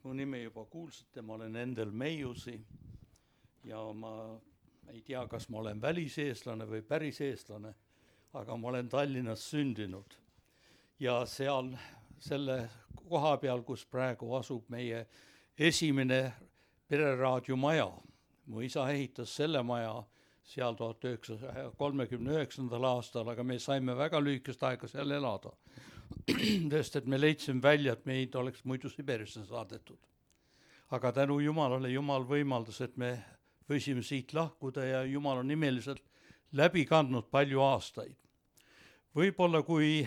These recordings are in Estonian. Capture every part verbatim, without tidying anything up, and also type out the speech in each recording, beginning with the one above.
mu nimi juba kuulsite, ma olen Endel Meiusi ja ma ei tea, kas ma olen väliseestlane või päris eestlane, aga ma olen Tallinnas sündinud. Ja seal selle koha peal, kus praegu asub meie esimene pereraadio maja. Mu isa ehitas selle maja seal tuhat üheksasaja kolmekümne üheksandal aastal, aga me saime väga lühikest aega seal elada. Sest et me leidsime välja, et meid oleks muidu Siberisse saadetud. Aga tänu Jumalale, Jumal võimaldas, et me võisime siit lahkuda ja Jumal on nimeliselt läbi kandnud palju aastaid. Võib-olla kui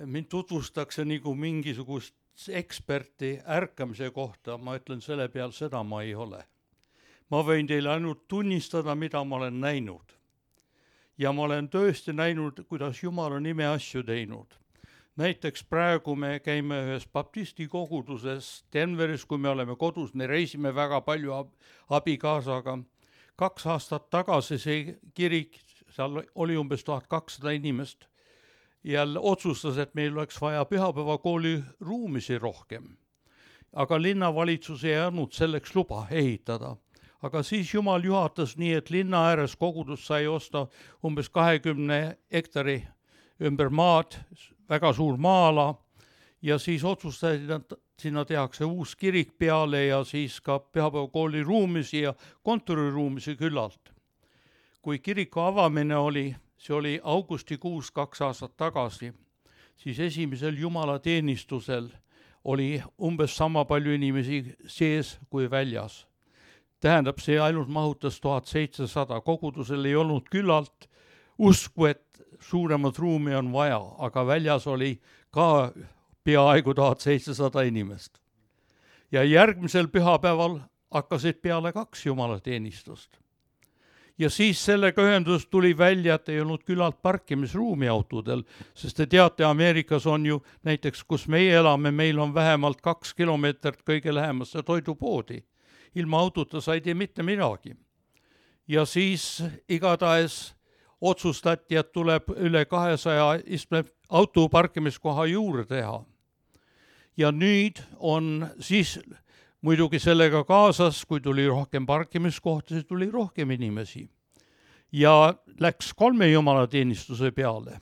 mind tutvustatakse nagu mingisugust eksperti ärkamise kohta, ma ütlen selle peal, seda ma ei ole. Ma võin teile ainult tunnistada, mida ma olen näinud. Ja ma olen tõesti näinud, kuidas Jumal on ime asju teinud. Näiteks praegu me käime ühes baptisti koguduses Denveris, kui me oleme kodus, me reisime väga palju abikaasaga. Kaks aastat tagasi see kirik, seal oli umbes tuhat kakssada inimest, jälle otsustas, et meil oleks vaja pühapäevakooli ruumisi rohkem. Aga linnavalitsus ei andnud selleks luba ehitada. Aga siis Jumal juhatas nii, et linna ääres kogudus sai osta umbes kahekümne hektari ümber maad, väga suur maala, ja siis otsustasid, et sinna tehakse uus kirik peale ja siis ka pühapäevakooli ruumisi ja kontoriruumisi küllalt. Kui kiriku avamine oli, see oli augustikuus kaks aastat tagasi, siis esimesel Jumala teenistusel oli umbes sama palju inimesi sees kui väljas. Tähendab, see ainult mahutas tuhat seitsesada, kogudusel ei olnud küllalt usku, et suuremat ruumi on vaja, aga väljas oli ka peaaegu tuhat seitsesada inimest. Ja järgmisel pühapäeval hakkasid peale kaks jumalateenistust. Ja siis sellega ühendus tuli välja, et ei olnud küllalt parkimisruumi autodel, sest te teate, Ameerikas on ju näiteks, kus meie elame, meil on vähemalt kaks kilomeetrit kõige lähemasse toidupoodi. Ilma autota sa ei tee mitte midagi. Ja siis igatahes otsustati, et tuleb üle kahesaja istme auto parkimiskoha juurde teha. Ja nüüd on siis muidugi sellega kaasas, kui tuli rohkem parkimiskohti, siis tuli rohkem inimesi. Ja läks kolme jumalateenistuse peale.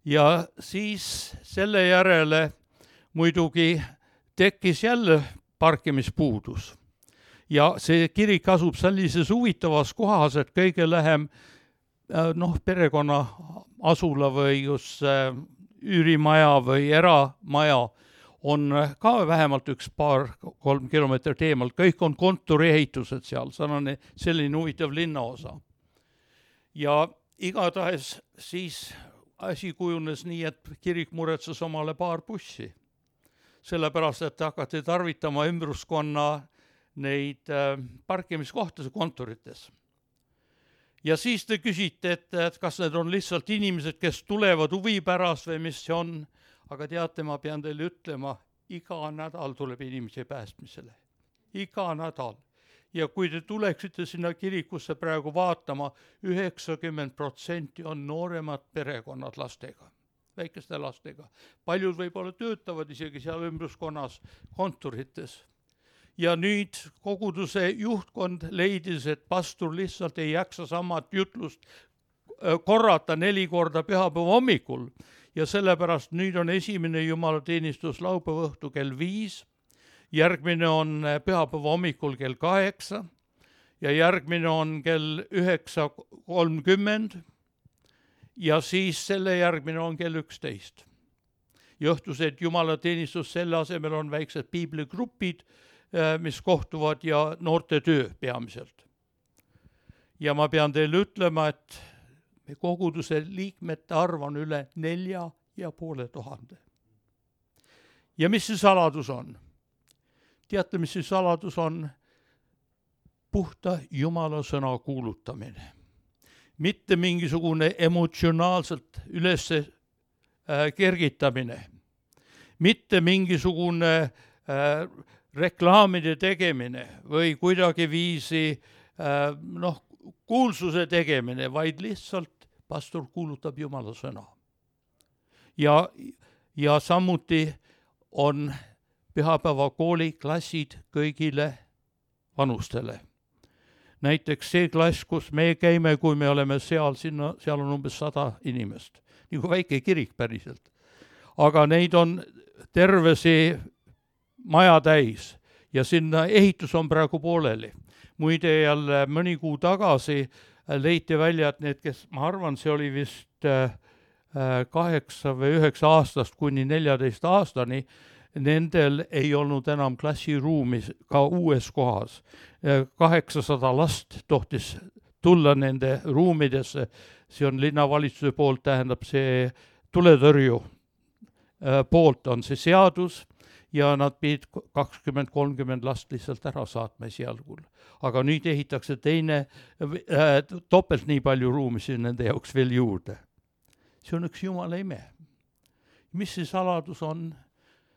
Ja siis selle järele muidugi tekkis jälle parkimispuudus. Ja see kirik asub sellises huvitavas kohas, et kõige lähem noh, perekonna asula või just üürimaja või eramaja on ka vähemalt üks paar, kolm kilomeetrit eemalt. Kõik on kontoriehitused seal, selline, selline huvitav linnaosa. Ja igatahes siis asi kujunes nii, et kirik muretses omale paar bussi. Sellepärast, et hakati tarvitama ümbruskonna neid parkimiskohtade kontorites. Ja siis te küsite, et, et kas need on lihtsalt inimesed, kes tulevad huvi pärast või mis see on, aga teate, ma pean teile ütlema, iga nädal tuleb inimese päästmisele. Iga nädal. Ja kui te tuleksite sinna kirikusse praegu vaatama, üheksakümmend protsenti on nooremad perekonnad lastega, väikeste lastega. Paljud võib-olla töötavad isegi seal ümbruskonnas kontorites. Ja nüüd koguduse juhtkond leidis, et pastor lihtsalt ei jaksa samat jutlust korrata neli korda pühapäeva hommikul. Ja sellepärast nüüd on esimene jumalateenistus laupäeva õhtu kell viis, järgmine on pühapäeva hommikul kell kaheksa ja järgmine on kell üheksa kolmkümmend ja siis selle järgmine on kell üksteist. Ja õhtused jumalateenistus selle asemel on väiksed piibligrupid, mis kohtuvad ja noorte töö peamiselt. Ja ma pean teile ütlema, et koguduse liikmete arv on üle nelja ja poole tuhande. Ja mis see saladus on? Teate, mis see saladus on? Puhta Jumala sõna kuulutamine. Mitte mingisugune emotsionaalselt üles kergitamine. Mitte mingisugune äh, reklaamide tegemine või kuidagi viisi noh, kuulsuse tegemine, vaid lihtsalt pastor kuulutab Jumala sõna. Ja, ja samuti on pühapäevakooli klassid kõigile vanustele. Näiteks see klass, kus me käime, kui me oleme seal, sinna, seal on umbes sada inimest, nagu väike kirik päriselt. Aga neid on terve see maja täis ja sinna ehitus on praegu pooleli. Muide jälle mõni kuu tagasi leiti välja, et need, kes, ma arvan, see oli vist kaheksa või üheksa aastast kuni neljateist aastani, nendel ei olnud enam klassiruumis ka uues kohas. kaheksasada last tohtis tulla nende ruumidesse, see on linnavalitsuse poolt, tähendab see tuletõrju poolt on see seadus ja nad pidid kakskümmend kolmkümmend last lihtsalt ära saatma esialgul. Aga nüüd ehitakse teine, äh, topelt nii palju ruumisi nende jaoks veel juurde. See on üks Jumala ime. Mis see saladus on?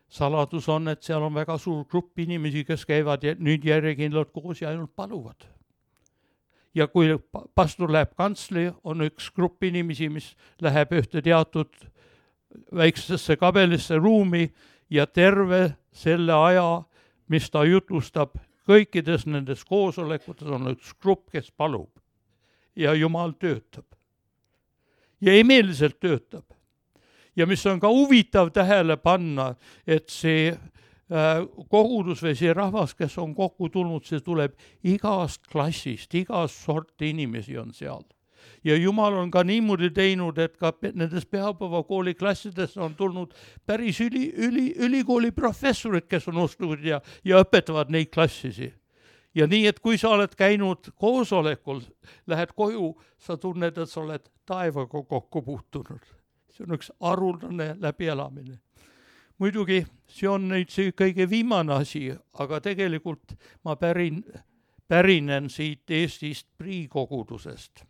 Saladus on, et seal on väga suur grupp inimesi, kes käivad ja nüüd järjekindlalt koos ja ainult paluvad. Ja kui pastor läheb kantsli, on üks grupp inimesi, mis läheb ühte teatud väiksesse kabelisse ruumi ja terve selle aja, mis ta jutustab, kõikides nendes koosolekutes on üks grupp, kes palub. Ja Jumal töötab. Ja imeliselt töötab. Ja mis on ka huvitav tähele panna, et see äh, kogudus või see rahvas, kes on kokku tulnud, see tuleb igast klassist, igast sorti inimesi on seal. Ja Jumal on ka niimoodi teinud, et ka nendes pühapäevakooli klassides on tulnud päris üli, üli, ülikooli professorid, kes on ostunud ja, ja õpetavad neid klassisi. Ja nii, et kui sa oled käinud koosolekul, lähed koju, sa tunned, et sa oled taevaga kokku puutunud. See on üks arulane läbielamine. Muidugi, see on nüüd see kõige viimane asi, aga tegelikult ma pärin, pärinen siit Eestist priikogudusest.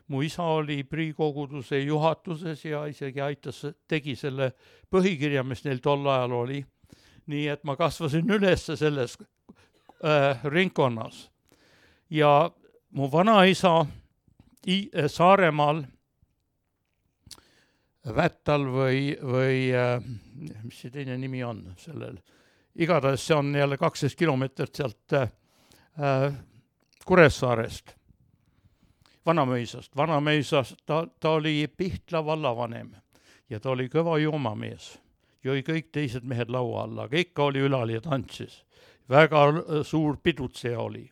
Mu isa oli priikoguduse juhatuses ja isegi aitas, tegi selle põhikirja, mis neil tol ajal oli. Nii et ma kasvasin üles selles äh, ringkonnas. Ja mu vanaisa I- Saaremaal Vättal või, või äh, mis see teine nimi on sellel. Igatahes see on jälle kaksteist kilomeetrit sealt äh, Kuressaarest. Vanamõisast. Vanamõisast ta, ta oli Pihtla vallavanem ja ta oli kõva joomamees. Jõi kõik teised mehed laua alla, aga ikka oli ülal ja tantsis. Väga suur pidutseja oli.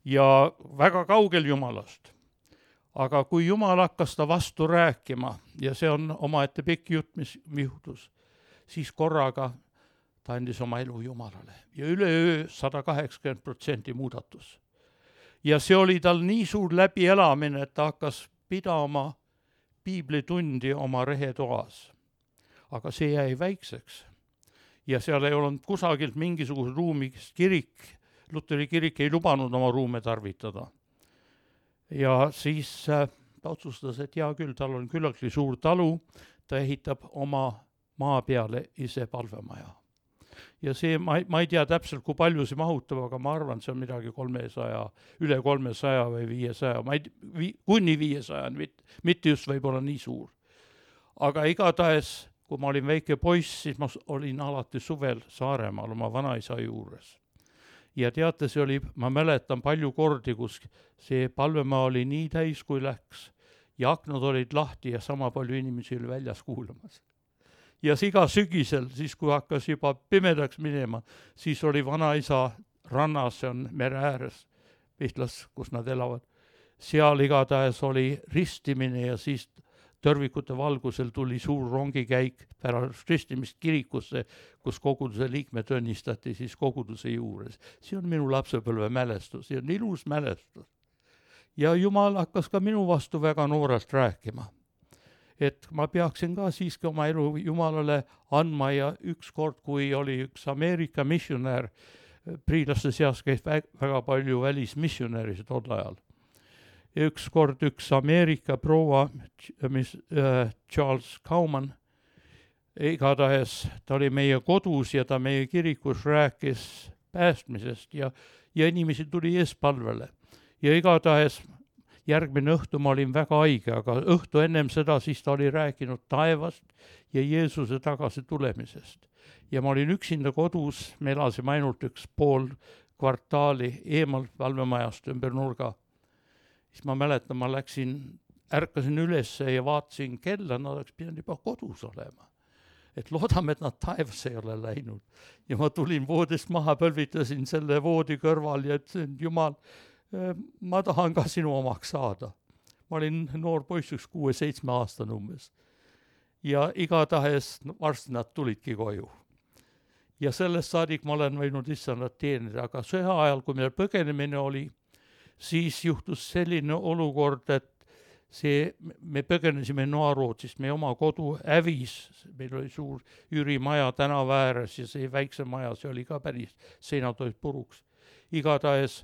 Ja väga kaugel Jumalast. Aga kui Jumal hakkas ta vastu rääkima, ja see on omaette pikk jutt, mis juhtus, siis korraga ta andis oma elu Jumalale. Ja üleöö sada kaheksakümmend protsenti muudatus. Ja see oli tal nii suur läbielamine, et ta hakkas pidama piiblitundi oma rehetoas. Aga see jäi väikseks. Ja seal ei olnud kusagilt mingisugust ruumist kirik. Luteri kirik ei lubanud oma ruume tarvitada. Ja siis äh, ta otsustas, et hea küll, tal on küllaltki suur talu, ta ehitab oma maa peale ise palvemaja. Ja see, ma, ma ei tea täpselt, kui palju see mahutab, aga ma arvan, see on midagi kolmesaja, üle kolmesaja või viiesaja, ma ei, vi, kuni viiesaja, mit, mitte just võib-olla nii suur. Aga igatahes, kui ma olin väike poiss, siis ma olin alati suvel Saaremaal oma vanaisa juures. Ja teate, see oli, ma mäletan palju kordi, kus see palvemaa oli nii täis, kui läks. Ja aknad olid lahti ja sama palju inimesi oli väljas kuulamas. Ja iga sügisel, siis kui hakkas juba pimedaks minema, siis oli vanaisa rannas, see on mere ääres, Pihtlas, kus nad elavad. Seal igatahes oli ristimine ja siis tõrvikute valgusel tuli suur rongikäik pärast ristimist kirikusse, kus koguduse liikmed õnnistati siis koguduse juures. See on minu lapsepõlve mälestus, see on ilus mälestus. Ja Jumal hakkas ka minu vastu väga noorelt rääkima. Et ma peaksin ka siiski oma elu Jumalale andma ja üks kord, kui oli üks Ameerika missionär, priilaste seas käis väga palju välismissionäris tol ajal. Üks kord üks Ameerika proua, mis äh, Charles Kauman, igatahes ta oli meie kodus ja ta meie kirikus rääkis päästmisest ja, ja inimesi tuli eespalvele. Ja igatahes järgmine õhtu ma olin väga haige, aga õhtu ennem seda siis ta oli rääkinud taevast ja Jeesuse tagasi tulemisest. ja ma olin üksinda kodus, me elasime ainult üks pool kvartaali eemal valvemajast ümber nurga. Siis ma mäletan, ma läksin, ärkasin ülesse ja vaatasin kella, nad oleks pidanud juba kodus olema. Et loodame, et nad taevasse ei ole läinud. Ja ma tulin voodist maha, pölvitasin selle voodi kõrval ja ütlesin, Jumal, ma tahan ka sinu omaks saada. Ma olin noor poiss, üks kuue-seitsme aastane umbes. Ja igatahes varsti nad tulidki koju. Ja sellest saadik ma olen võinud issand teenida, aga sõja ajal, kui meil põgenemine oli, siis juhtus selline olukord, et see, me põgenesime Noa-Rootsist, meie oma kodu hävis, meil oli suur üürimaja tänava ääres ja see väikse maja, see oli ka päris, seinad olid puruks. Igatahes,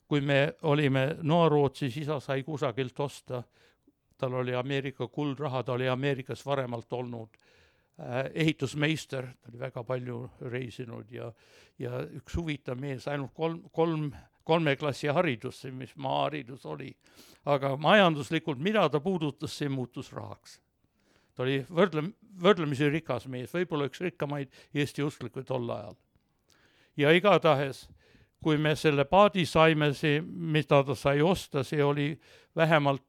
kui me olime Noa-Rootsis, isa sai kusagilt osta, tal oli Ameerika kuldraha, ta oli Ameerikas varemalt olnud ehitusmeister, ta oli väga palju reisinud ja, ja üks huvitav mees, ainult kolm, kolm, kolme klassi haridus, mis maaharidus oli. Aga majanduslikult, mida ta puudutas, see muutus rahaks. Ta oli võrdlem, võrdlemisi rikas mees, võib-olla üks rikkamaid Eesti usklikuid tol ajal. Ja igatahes, kui me selle paadi saime, see, mida ta sai osta, see oli vähemalt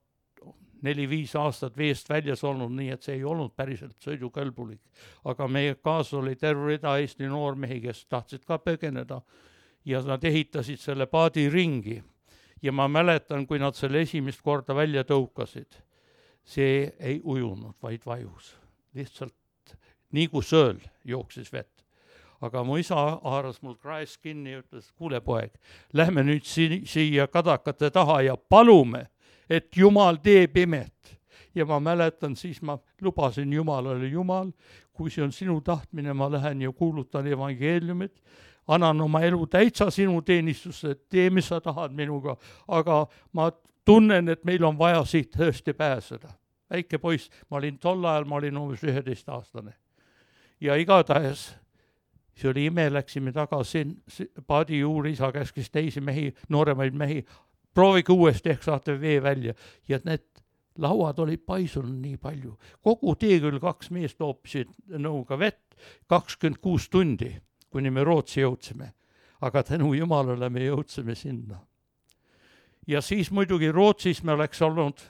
neli-viis aastat veest väljas olnud, nii et see ei olnud päriselt sõidukõlbulik. Aga meie kaas oli terve rida Eesti noormehi, kes tahtsid ka põgeneda ja nad ehitasid selle paadi ringi. Ja ma mäletan, kui nad selle esimest korda välja tõukasid, see ei ujunud, vaid vajus. Lihtsalt nii kui sööl jooksis vett. Aga mu isa haaras mul kraes kinni ja ütles, kuule poeg, lähme nüüd si- siia kadakate taha ja palume, et Jumal teeb imet. Ja ma mäletan, siis ma lubasin Jumalale, Jumal, kui see on sinu tahtmine, ma lähen ja kuulutan evangeeliumit, annan oma elu täitsa sinu teenistusse, tee, mis sa tahad minuga, aga ma tunnen, et meil on vaja siit tõesti pääseda. Väike poiss, ma olin tol ajal, ma olin umbes üheteist aastane. Ja igatahes, see oli ime, läksime tagasi paadi juuri, isa käskis teisi mehi, nooremaid mehi, proovige uuesti, ehk saate vee välja. Ja need lauad olid paisunud nii palju. Kogu tee küll kaks meest loopisid nõuga vett, kakskümmend kuus tundi, kuni me Rootsi jõudsime. Aga tänu Jumalale me jõudsime sinna. Ja siis muidugi Rootsis me oleks olnud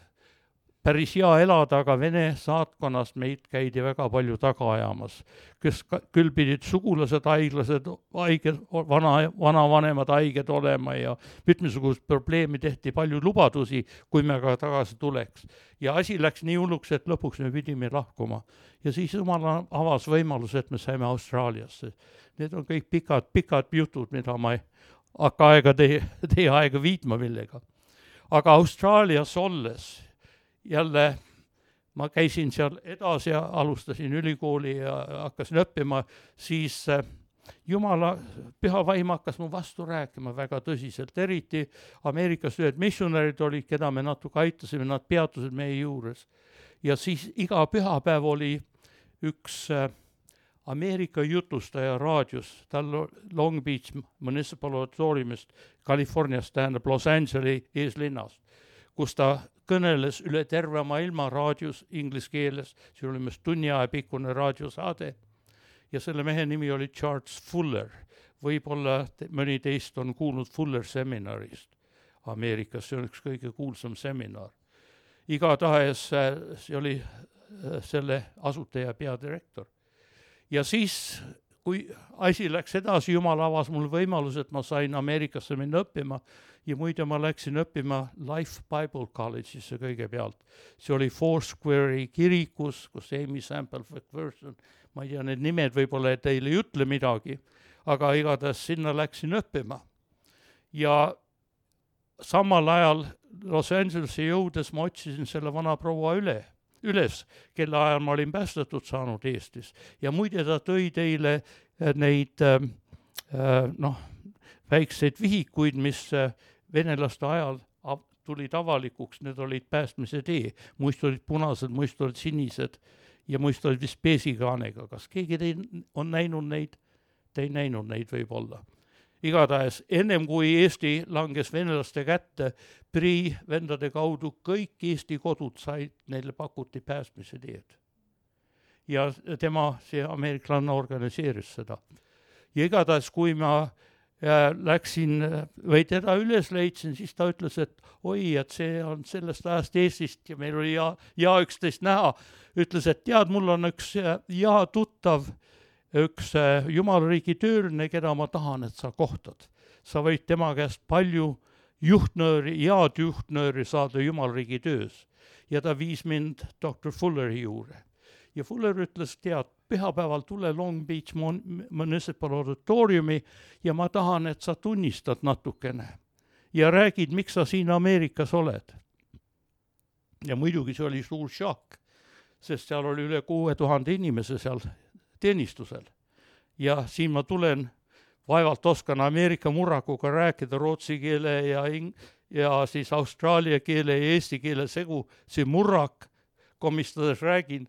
päris hea elada, aga Vene saatkonnast meid käidi väga palju taga ajamas, kes küll pidid sugulased, haiglased, haiged, vana, vanavanemad haiged olema ja mitmesugust probleemi tehti, palju lubadusi, kui me ka tagasi tuleks. Ja asi läks nii hulluks, et lõpuks me pidime lahkuma. Ja siis Jumal avas võimalus, et me saime Austraaliasse. Need on kõik pikad, pikad jutud, mida ma ei hakka aega teie, teie aega viitma millega. Aga Austraalias olles jälle ma käisin seal edasi ja alustasin ülikooli ja hakkasin õppima, siis Jumala püha vaim hakkas mu vastu rääkima väga tõsiselt. Eriti Ameerikas ühed missionarid olid, keda me natuke aitasime, nad peatusid meie juures. Ja siis iga pühapäev oli üks Ameerika jutustaja raadios, tal Long Beach Municipal Auditoriumist, Californiast, tähendab Los Angelesi eeslinnast, kus ta kõneles üle terve maailma raadios inglise keeles, see oli mest tunni aja pikkune raadiosaade ja selle mehe nimi oli Charles Fuller. Võib-olla mõni teist on kuulnud Fuller seminarist Ameerikas, see on üks kõige kuulsam seminar. Igatahes see oli selle asutaja peadirektor. Ja siis, kui asi läks edasi, Jumal avas mul võimalus, et ma sain Ameerikasse minna õppima ja muide ma läksin õppima Life Bible College'isse kõigepealt. See oli Foursquare'i kirikus, kus Amy Sample McPherson, ma ei tea, need nimed võib-olla teile ei ütle midagi, aga igatahes sinna läksin õppima. Ja samal ajal Los Angelesi jõudes ma otsisin selle vana proua üle. üles, kelle ajal ma olin päästetud saanud Eestis. Ja muide ta tõi teile neid äh, noh, väikseid vihikuid, mis venelaste ajal tulid avalikuks, need olid päästmise tee. Muist olid punased, muist olid sinised ja muist olid vist peesikaanega. Kas keegi teil on näinud neid? Te ei näinud neid võib-olla. Igatahes, ennem kui Eesti langes venelaste kätte, Prii vendade kaudu kõik Eesti kodud said, neile pakuti päästmise teed. ja tema, see ameeriklane organiseeris seda. Ja igatahes, kui ma äh, läksin või teda üles leidsin, siis ta ütles, et oi, et see on sellest ajast Eestist ja meil oli ja, ja üksteist näha. Ütles, et tead, mul on üks ja tuttav, üks jumalariigi tööline, keda ma tahan, et sa kohtad. Sa võid tema käest palju juhtnööri, head juhtnööri saada jumalariigi töös. Ja ta viis mind doktor Fulleri juurde. Ja Fuller ütles, tead, pühapäeval tule Long Beach Municipal Auditoriumi ja ma tahan, et sa tunnistad natukene ja räägid, miks sa siin Ameerikas oled. Ja muidugi see oli suur šokk, sest seal oli üle kuue tuhande inimese seal teenistusel. Ja siin ma tulen, vaevalt oskan Ameerika murrakuga rääkida rootsi keele ja, ing- ja siis austraalia keele ja eesti keele segu, see murrak komistades räägin.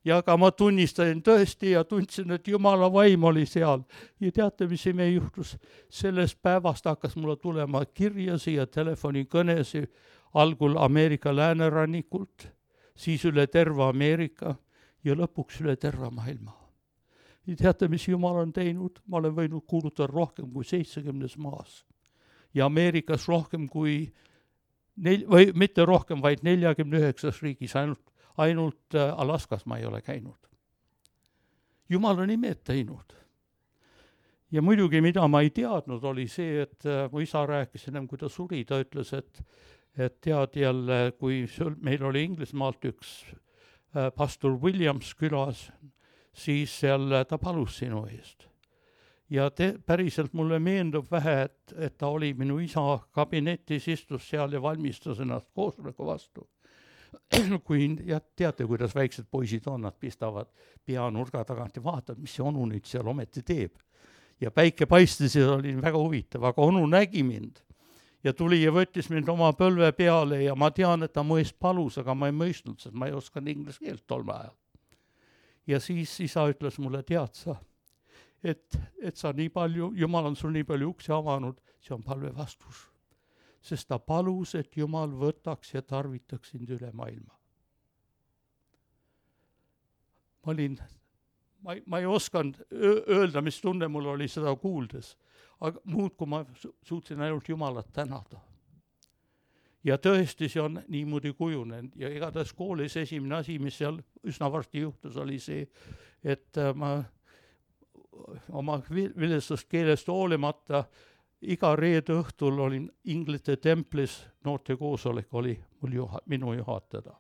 Ja aga ma tunnistasin tõesti ja tundsin, et Jumala vaim oli seal. Ja teate, mis ime juhtus? Sellest päevast hakkas mulle tulema kirjasi ja telefonikõnesi algul Ameerika läänerannikult, siis üle terve Ameerika ja lõpuks üle terve maailma. Ja teate, mis Jumal on teinud? Ma olen võinud kuulutada rohkem kui seitsekümnes maas. Ja Ameerikas rohkem kui, nel- või mitte rohkem, vaid neljakümne üheksas riigis ainult ainult Alaskas ma ei ole käinud. Jumal on imed teinud. Ja muidugi, mida ma ei teadnud, oli see, et mu isa rääkis ennem, kui ta suri, ta ütles, et, et tead jälle, kui meil oli Inglismaalt üks pastor Williams külas, siis seal ta palus sinu eest. Ja te, päriselt mulle meendub vähe, et, et ta oli minu isa kabinetis, istus seal ja valmistas ennast koosoleku vastu. Kui ja teate, kuidas väiksed poisid on, nad pistavad pea nurga tagant ja vaatavad, mis see onu nüüd seal ometi teeb. Ja päike paistis ja oli väga huvitav, aga onu nägi mind ja tuli ja võttis mind oma põlve peale ja ma tean, et ta mu eest palus, aga ma ei mõistnud, sest ma ei osanud inglise keelt tol ajal. Ja siis isa ütles mulle, tead sa, et, et sa nii palju, Jumal on sul nii palju uksi avanud, see on palve vastus. Sest ta palus, et Jumal võtaks ja tarvitaks sind üle maailma. Ma olin, ma, ma ei osanud öelda, mis tunne mul oli seda kuuldes, aga muud, kui ma suutsin ainult Jumalat tänada. Ja tõesti see on niimoodi kujunenud ja igatahes koolis esimene asi, mis seal üsna varsti juhtus, oli see, et ma oma vilestust keelest hoolimata iga reede õhtul olin Inglite templis, noorte koosolek oli mul juha, minu juhatada.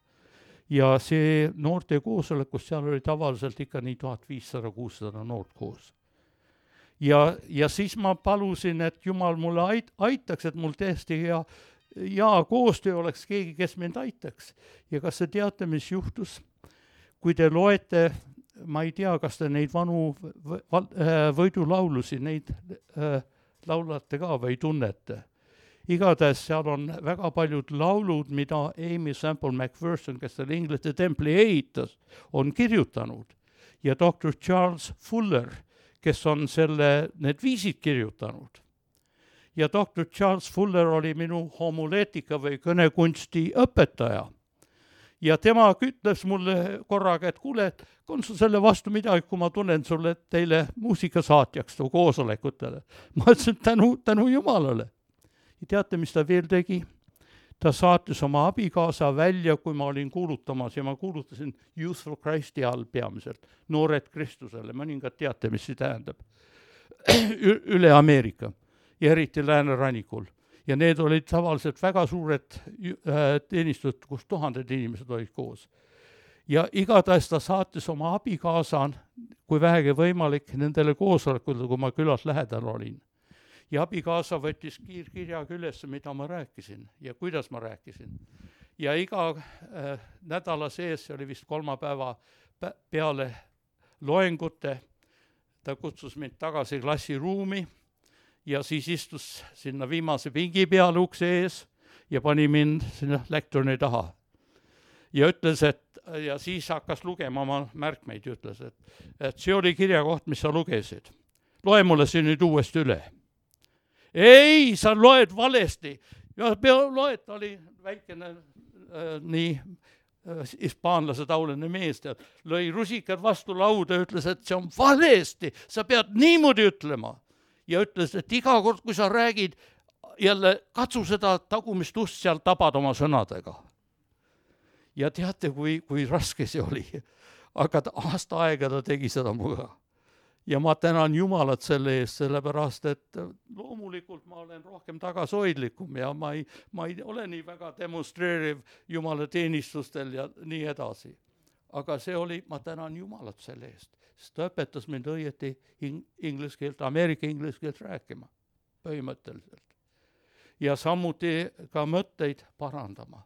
Ja see noorte koosolekus, seal oli tavaliselt ikka nii tuhat viissada kuussada noort koos. Ja, ja siis ma palusin, et Jumal mulle ait, aitaks, et mul tõesti hea, hea koostöö oleks keegi, kes mind aitaks. Ja kas te teate, mis juhtus? Kui te loete, ma ei tea, kas te neid vanu võidulaulusi, neid laulate ka või tunnete. Igatahes seal on väga paljud laulud, mida Amy Semple McPherson, kes selle Inglite templi ehitas, on kirjutanud. Ja doktor Charles Fuller, kes on selle, need viisid kirjutanud. Ja doktor Charles Fuller oli minu homuleetika või kõnekunsti õpetaja. Ja tema ütles mulle korraga, et kuule, et on sul selle vastu midagi, kui ma tunnen sulle teile muusikasaatjaks tu koosolekutele. Ma ütlesin, tänu, tänu Jumalale. Ja teate, mis ta veel tegi? Ta saatis oma abikaasa välja, kui ma olin kuulutamas ja ma kuulutasin Youth for Christi all peamiselt, noored Kristusele. Mõningad teate, mis see tähendab. Üle Ameerika ja eriti läänerannikul. Ja need olid tavaliselt väga suured teenistused, kus tuhanded inimesed olid koos. Ja igatahes ta saatis oma abikaasan, kui vähegi võimalik, nendele koosolekule, kui ma külas lähedal olin. Ja abikaasa võttis kiirkirjaga üles, mida ma rääkisin ja kuidas ma rääkisin. Ja iga äh, nädala sees, oli vist kolmapäeva peale loengute, ta kutsus mind tagasi klassiruumi, ja siis istus sinna viimase pingi peale ukse ees ja pani mind sinna lektorni taha. Ja ütles, et, ja siis hakkas lugema oma märkmeid, ütles, et, et see oli kirjakoht, mis sa lugesid. Loe mulle see nüüd uuesti üle. Ei, sa loed valesti. Ja pea loed, oli väikene äh, nii hispaanlase taoline mees, tead, lõi rusikad vastu lauda ja ütles, et see on valesti, sa pead niimoodi ütlema. Ja ütles, et iga kord, kui sa räägid, jälle katsu seda tagumist ust seal tabad oma sõnadega. Ja teate, kui, kui raske see oli. Aga ta, aasta aega ta tegi seda muga. Ja ma tänan Jumalat selle eest, sellepärast, et loomulikult ma olen rohkem tagasoidlikum ja ma ei, ma ei ole nii väga demonstreeriv Jumala teenistustel ja nii edasi. Aga see oli, ma tänan Jumalat selle eest, sest ta õpetas mind õieti ing- inglise keelt, Ameerika inglise keelt rääkima põhimõtteliselt. Ja samuti ka mõtteid parandama.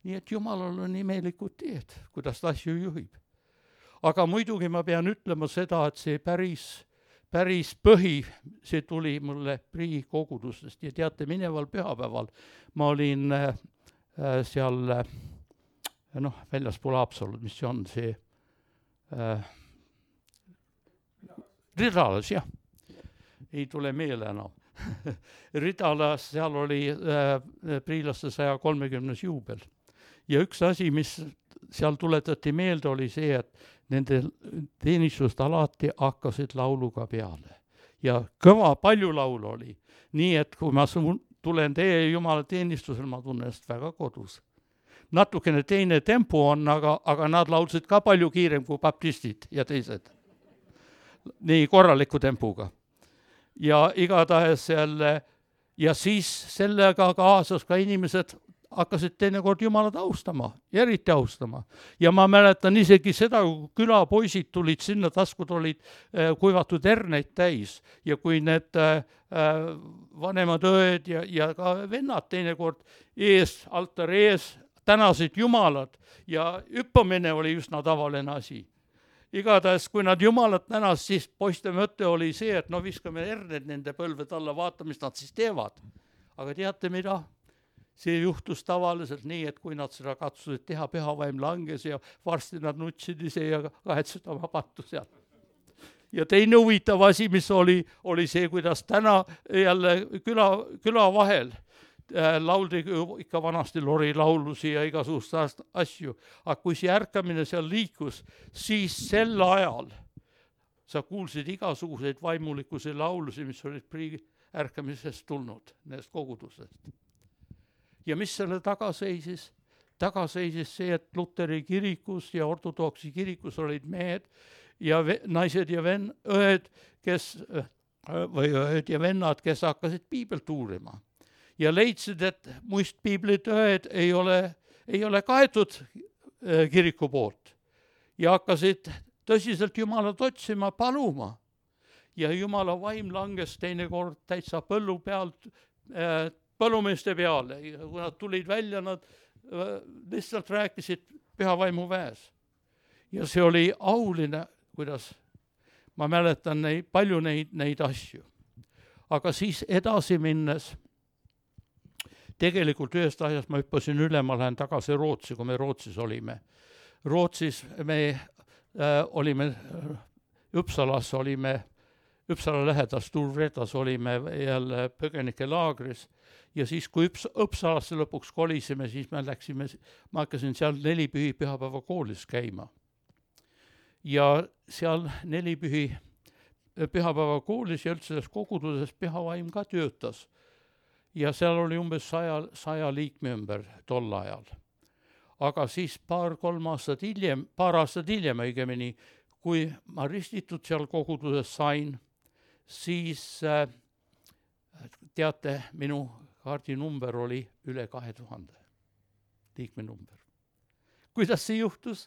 Nii et Jumalal on imelikud teed, kuidas ta asju juhib. Aga muidugi ma pean ütlema seda, et see päris, päris põhi, see tuli mulle Prii kogudustest. Ja teate, mineval pühapäeval ma olin äh, seal, äh, noh, väljaspool Haapsalud, mis see on see äh, Ridalas, jah. Ei tule meele enam. Ridalas, seal oli äh, priilaste saja kolmekümnes juubel. Ja üks asi, mis seal tuletati meelde, oli see, et nende teenistust alati hakkasid lauluga peale. Ja kõva palju laulu oli. Nii, et kui ma tulen teie Jumala teenistusel, ma tunnen ennast väga kodus. Natukene teine tempo on, aga, aga nad laulsid ka palju kiirem kui baptistid ja teised. Nii korraliku tempuga. Ja igatahes selle, ja siis sellega kaasas ka inimesed hakkasid teinekord Jumalat austama, eriti austama. Ja ma mäletan isegi seda, kui külapoisid tulid sinna, taskud olid äh, kuivatud herneid täis. Ja kui need äh, vanemad õed ja, ja ka vennad teinekord ees, altari ees tänasid Jumalat ja hüppamine oli üsna tavaline asi. Igatahes, kui nad Jumalat tänas, siis poiste mõte oli see, et no viskame herned nende põlved alla, vaata, mis nad siis teevad. Aga teate mida? See juhtus tavaliselt nii, et kui nad seda katsusid teha, pühavaim langes ja varsti nad nutsid ise ja kahetsid oma pattu sealt. Ja teine huvitav asi, mis oli, oli see, kuidas täna jälle küla, küla vahel äh, lauldi ikka vanasti lori laulusi ja igasugust asju. Aga kui see ärkamine seal liikus, siis sel ajal sa kuulsid igasuguseid vaimulikkuse laulusi, mis olid Prii ärkamisest tulnud, nendest kogudusest. Ja mis selle taga seisis? Taga seisis see, et Luteri kirikus ja ortodoksi kirikus olid mehed ja ve- naised ja ven- õed, kes, või õed ja vennad, kes hakkasid piibelt uurima. Ja leidsid, et muist piiblit õed ei ole, ei ole kaetud kiriku poolt. Ja hakkasid tõsiselt Jumalat otsima, paluma. Ja Jumala vaim langes teinekord täitsa põllu pealt, äh, põllumeeste peale. Ja kui nad tulid välja, nad lihtsalt rääkisid pühavaimu väes. Ja see oli auline, kuidas ma mäletan neid, palju neid, neid asju. Aga siis edasi minnes, tegelikult ühest asjast ma hüppasin üle, ma lähen tagasi Rootsi, kui me Rootsis olime. Rootsis me äh, olime, Uppsalas olime, Uppsala lähedas Turvetas olime jälle põgenike laagris. Ja siis, kui Üps, Uppsalasse lõpuks kolisime, siis me läksime, ma hakkasin seal nelipühi pühapäeva koolis käima. Ja seal nelipühi pühapäeva koolis ja üldse selles koguduses pühavaim ka töötas. Ja seal oli umbes saja, saja liikme ümber tol ajal. Aga siis paar, kolm aastat hiljem, paar aastat hiljem õigemini, kui ma ristitud seal koguduses sain, siis äh, teate, minu kaardi number oli üle kahe tuhande liikme number. Kuidas see juhtus?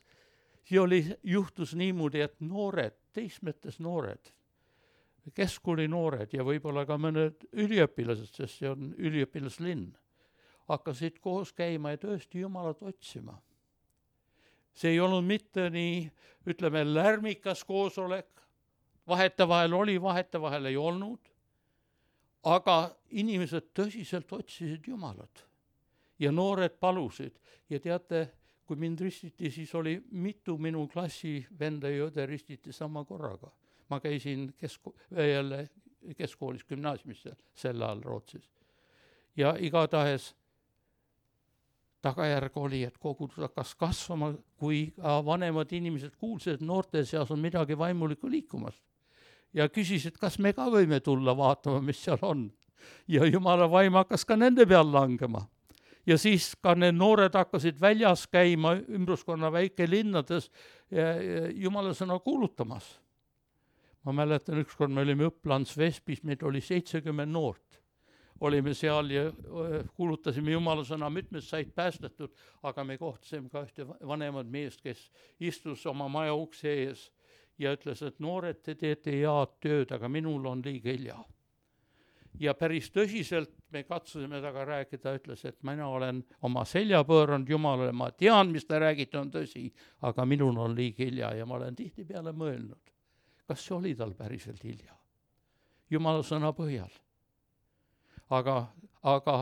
See oli, juhtus niimoodi, et noored, teismetes noored, keskkooli noored ja võib-olla ka mõned üliõpilased, sest see on üliõpilaslinn, hakkasid koos käima ja tõesti Jumalat otsima. See ei olnud mitte nii, ütleme, lärmikas koosolek, vahetevahel oli, vahetevahel ei olnud, aga inimesed tõsiselt otsisid Jumalat ja noored palusid. Ja teate, kui mind ristiti, siis oli mitu minu klassi venda ja õde ristiti sama korraga. Ma käisin kesko- jälle keskkoolis gümnaasiumis sel ajal Rootsis. Ja igatahes tagajärg oli, et kogudus hakkas kasvama, kui vanemad inimesed kuulsid, et noorte seas on midagi vaimulikku liikumas. Ja küsisid, kas me ka võime tulla vaatama, mis seal on. Ja Jumala vaim hakkas ka nende peal langema. Ja siis ka need noored hakkasid väljas käima ümbruskonna väikelinnades Jumala sõna kuulutamas. Ma mäletan, ükskord me olime Õplands Vespis, meid oli seitsekümmend noort. Olime seal ja kuulutasime Jumala sõna, mitmed said päästetud, aga me kohtasime ka ühte vanemad meest, kes istus oma maja ukse ees ja ütles, et noored, te teete head tööd, aga minul on liiga hilja. Ja päris tõsiselt me katsusime taga rääkida, ütles, et mina olen oma selja pööranud Jumalale, ma tean, mis te räägite, on tõsi, aga minul on liiga hilja ja ma olen tihti peale mõelnud, kas see oli tal päriselt hilja. Jumala sõna põhjal. Aga, aga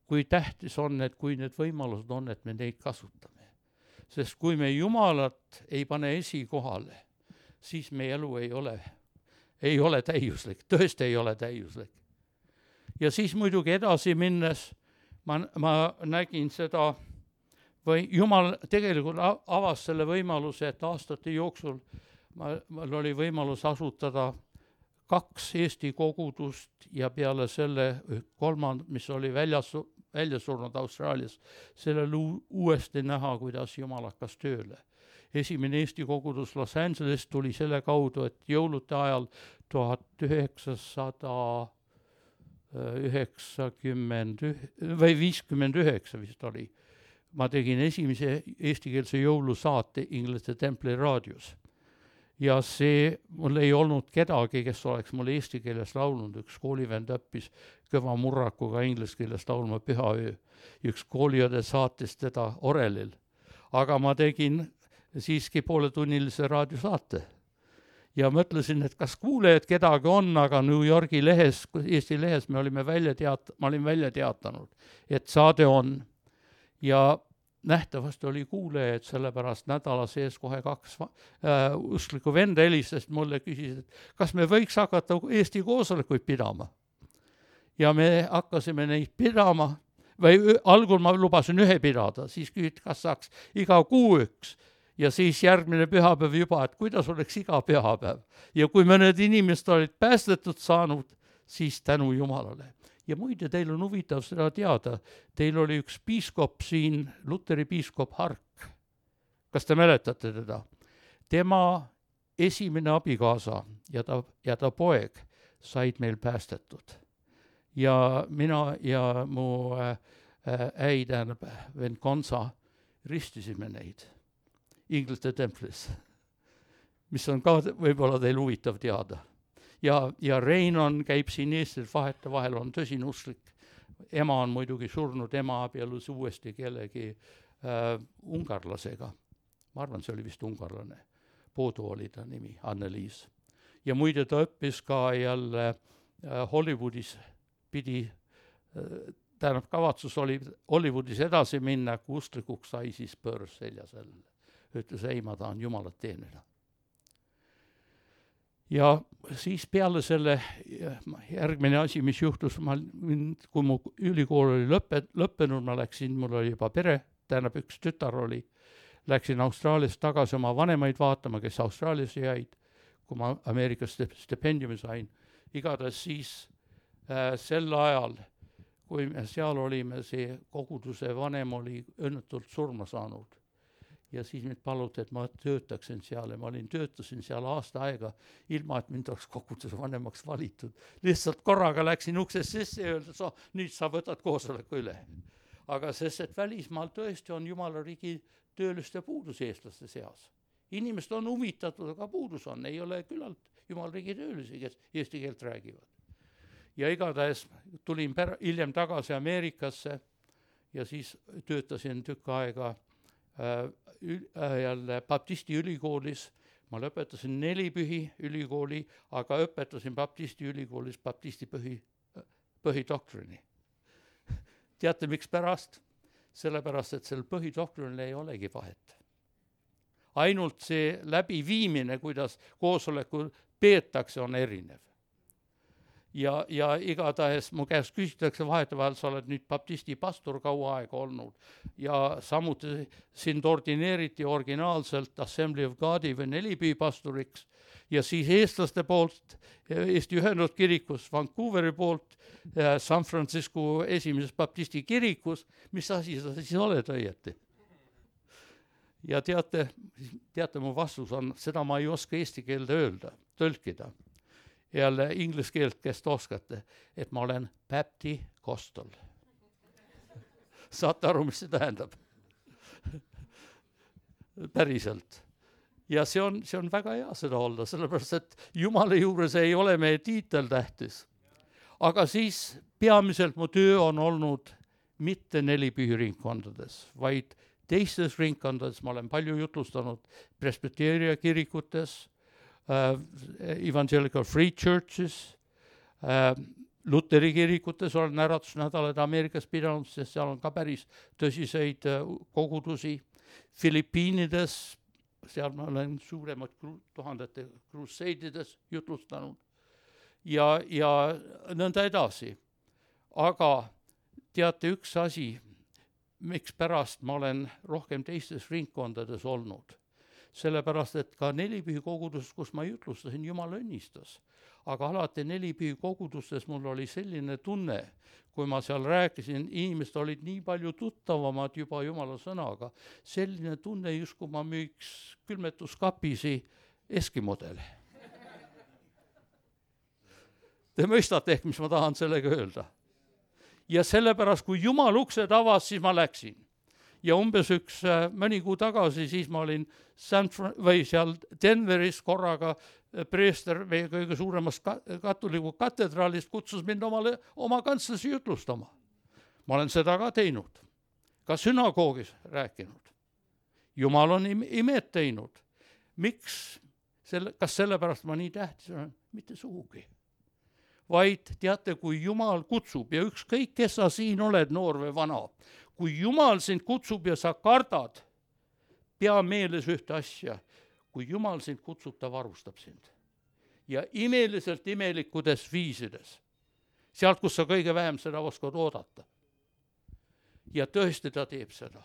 kui tähtis on, et kui need võimalused on, et me neid kasutame. Sest kui me Jumalat ei pane esikohale, siis meie elu ei ole, ei ole täiuslik, tõesti ei ole täiuslik. Ja siis muidugi edasi minnes ma, ma nägin seda, või Jumal tegelikult avas selle võimaluse, et aastate jooksul ma, mul oli võimalus asutada kaks Eesti kogudust ja peale selle kolmand, mis oli väljas, välja surnud Austraalias, sellel uuesti näha, kuidas Jumal hakkas tööle. Esimene Eesti kogudus Los Angeles tuli selle kaudu, et jõulude ajal tuhat üheksasada üheksakümmend või viiskümmend üheksa vist oli. Ma tegin esimese eestikeelse jõulusaate Inglise Templi raadios. Ja see, mul ei olnud kedagi, kes oleks mul eesti keeles laulnud. Üks koolivend õppis kõva murrakuga inglise keeles laulma Pühaöö. Üks kooliõde saatis teda orelil. Aga ma tegin siiski pooletunnilise raadiosaate. Ja mõtlesin, et kas kuulejad kedagi on, aga New Yorgi lehes, Eesti lehes me olime välja teat-, ma olin välja teatanud, et saade on. Ja nähtavasti oli kuulejaid, sellepärast nädala sees kohe kaks äh, usklikku venda helistest mulle küsisid, et kas me võiks hakata Eesti koosolekuid pidama. Ja me hakkasime neid pidama, või algul ma lubasin ühe pidada, siis küsiti, kas saaks iga kuu üks. Ja siis järgmine pühapäev juba, et kuidas oleks iga pühapäev. Ja kui mõned inimesed olid päästetud saanud, siis tänu Jumalale. Ja muide, teil on huvitav seda teada. Teil oli üks piiskop siin, Luteri piiskop Hark. Kas te mäletate teda? Tema esimene abikaasa ja ta, ja ta poeg said meil päästetud. Ja mina ja mu äh, äi, tähendab, vend Konsa ristisime neid Inglise Templis, mis on ka võib-olla teil huvitav teada. Ja, ja Reinon käib siin Eestil vahete vahel, on tõsine usklik. Ema on muidugi surnud, ema abielus uuesti kellegi äh, ungarlasega. Ma arvan, see oli vist ungarlane. Poodu oli ta nimi, Anneliis. Ja muide ta õppis ka jälle äh, Hollywoodis pidi, äh, tähendab kavatsus oli Hollywoodis edasi minna, kui usklikuks sai siis pöörs selja sellele. Ütles, ei, ma tahan Jumalat teenida. Ja siis peale selle järgmine asi, mis juhtus, ma, kui mu ülikool oli lõppe, lõppenud, ma läksin, mul oli juba pere, tähendab üks tütar oli, läksin Austraaliast tagasi oma vanemaid vaatama, kes Austraalias jäid, kui ma Ameerikas stipendiumi sain. Igatahes siis äh, sel ajal, kui me seal olime, see koguduse vanem oli õnnetult surma saanud. Ja siis mind paluti, et ma töötaksin seal ja ma olin, töötasin seal aasta aega, ilma et mind oleks koguduse vanemaks valitud. Lihtsalt korraga läksin uksest sisse ja öeldes, oh, nüüd sa võtad koosoleku üle. Aga sest, et välismaal tõesti on Jumala riigi tööliste puudus eestlaste seas. Inimesed on huvitatud, aga puudus on. Ei ole küllalt Jumala riigi töölisi, kes eesti keelt räägivad. Ja igatahes tulin per- hiljem tagasi Ameerikasse ja siis töötasin tükk aega äh, jälle baptisti ülikoolis. Ma lõpetasin neli pühi ülikooli, aga õpetasin baptisti ülikoolis baptisti põhi, põhidoktorini. Teate, miks pärast? Sellepärast, et sel põhidoktorinil ei olegi vahet. Ainult see läbiviimine, kuidas koosoleku peetakse, on erinev. ja, ja igatahes mu käest küsitakse vahetevahel, sa oled nüüd baptisti pastor kaua aega olnud ja samuti sind ordineeriti originaalselt Assembly of Godi või Nelipüü pastoriks ja siis eestlaste poolt Eesti Ühendatud Kirikus, Vancouveri poolt San Francisco esimeses baptisti kirikus, mis asi sa siis oled õieti? Ja teate, teate mu vastus on, seda ma ei oska eesti keelde öelda, tõlkida. Jälle inglis keelt, kes te oskate, et ma olen Bapti Kostel. Saate aru, mis see tähendab? Päriselt. Ja see on, see on väga hea seda olla, sellepärast, et Jumala juures ei ole meie tiitel tähtis. Aga siis peamiselt mu töö on olnud mitte Nelipüü ringkondades, vaid teistes ringkondades. Ma olen palju jutlustanud Presbyteria kirikutes, Uh, Evangelical Free Churches, uh, Luteri kirikutes olen äratusnädalad Ameerikas pidanud, sest seal on ka päris tõsiseid uh, kogudusi. Filipiinides, seal ma olen suuremad kru- tuhandete kruseidides jutlustanud ja, ja nõnda edasi. Aga teate üks asi, miks pärast ma olen rohkem teistes ringkondades olnud. Sellepärast, et ka Nelipüü kogudus, kus ma jutlustasin, Jumal õnnistas. Aga alati Nelipüü kogudustes mul oli selline tunne, kui ma seal rääkisin, inimesed olid nii palju tuttavamad juba Jumala sõnaga. Selline tunne, just kui ma müüks külmetuskapisi eskimodele. Te mõistate ehk, mis ma tahan sellega öelda. Ja sellepärast, kui Jumal uksed avas, siis ma läksin. Ja umbes üks äh, mõni kuu tagasi, siis ma olin San Fran- või seal Denveris korraga preester meie kõige suuremast ka- katoliku katedraalist kutsus mind omale, oma kantslas jutlustama. Ma olen seda ka teinud. Ka sünagoogis rääkinud. Jumal on im- imed teinud. Miks? Selle, kas sellepärast ma nii tähtis olen? Mitte sugugi. Vaid teate, kui Jumal kutsub ja ükskõik, kes sa siin oled, noor või vana, kui Jumal sind kutsub ja sa kardad, pea meeles ühte asja. Kui Jumal sind kutsub, ta varustab sind. Ja imeliselt imelikkudes viisides. Sealt, kus sa kõige vähem seda oskad oodata. Ja tõesti ta teeb seda.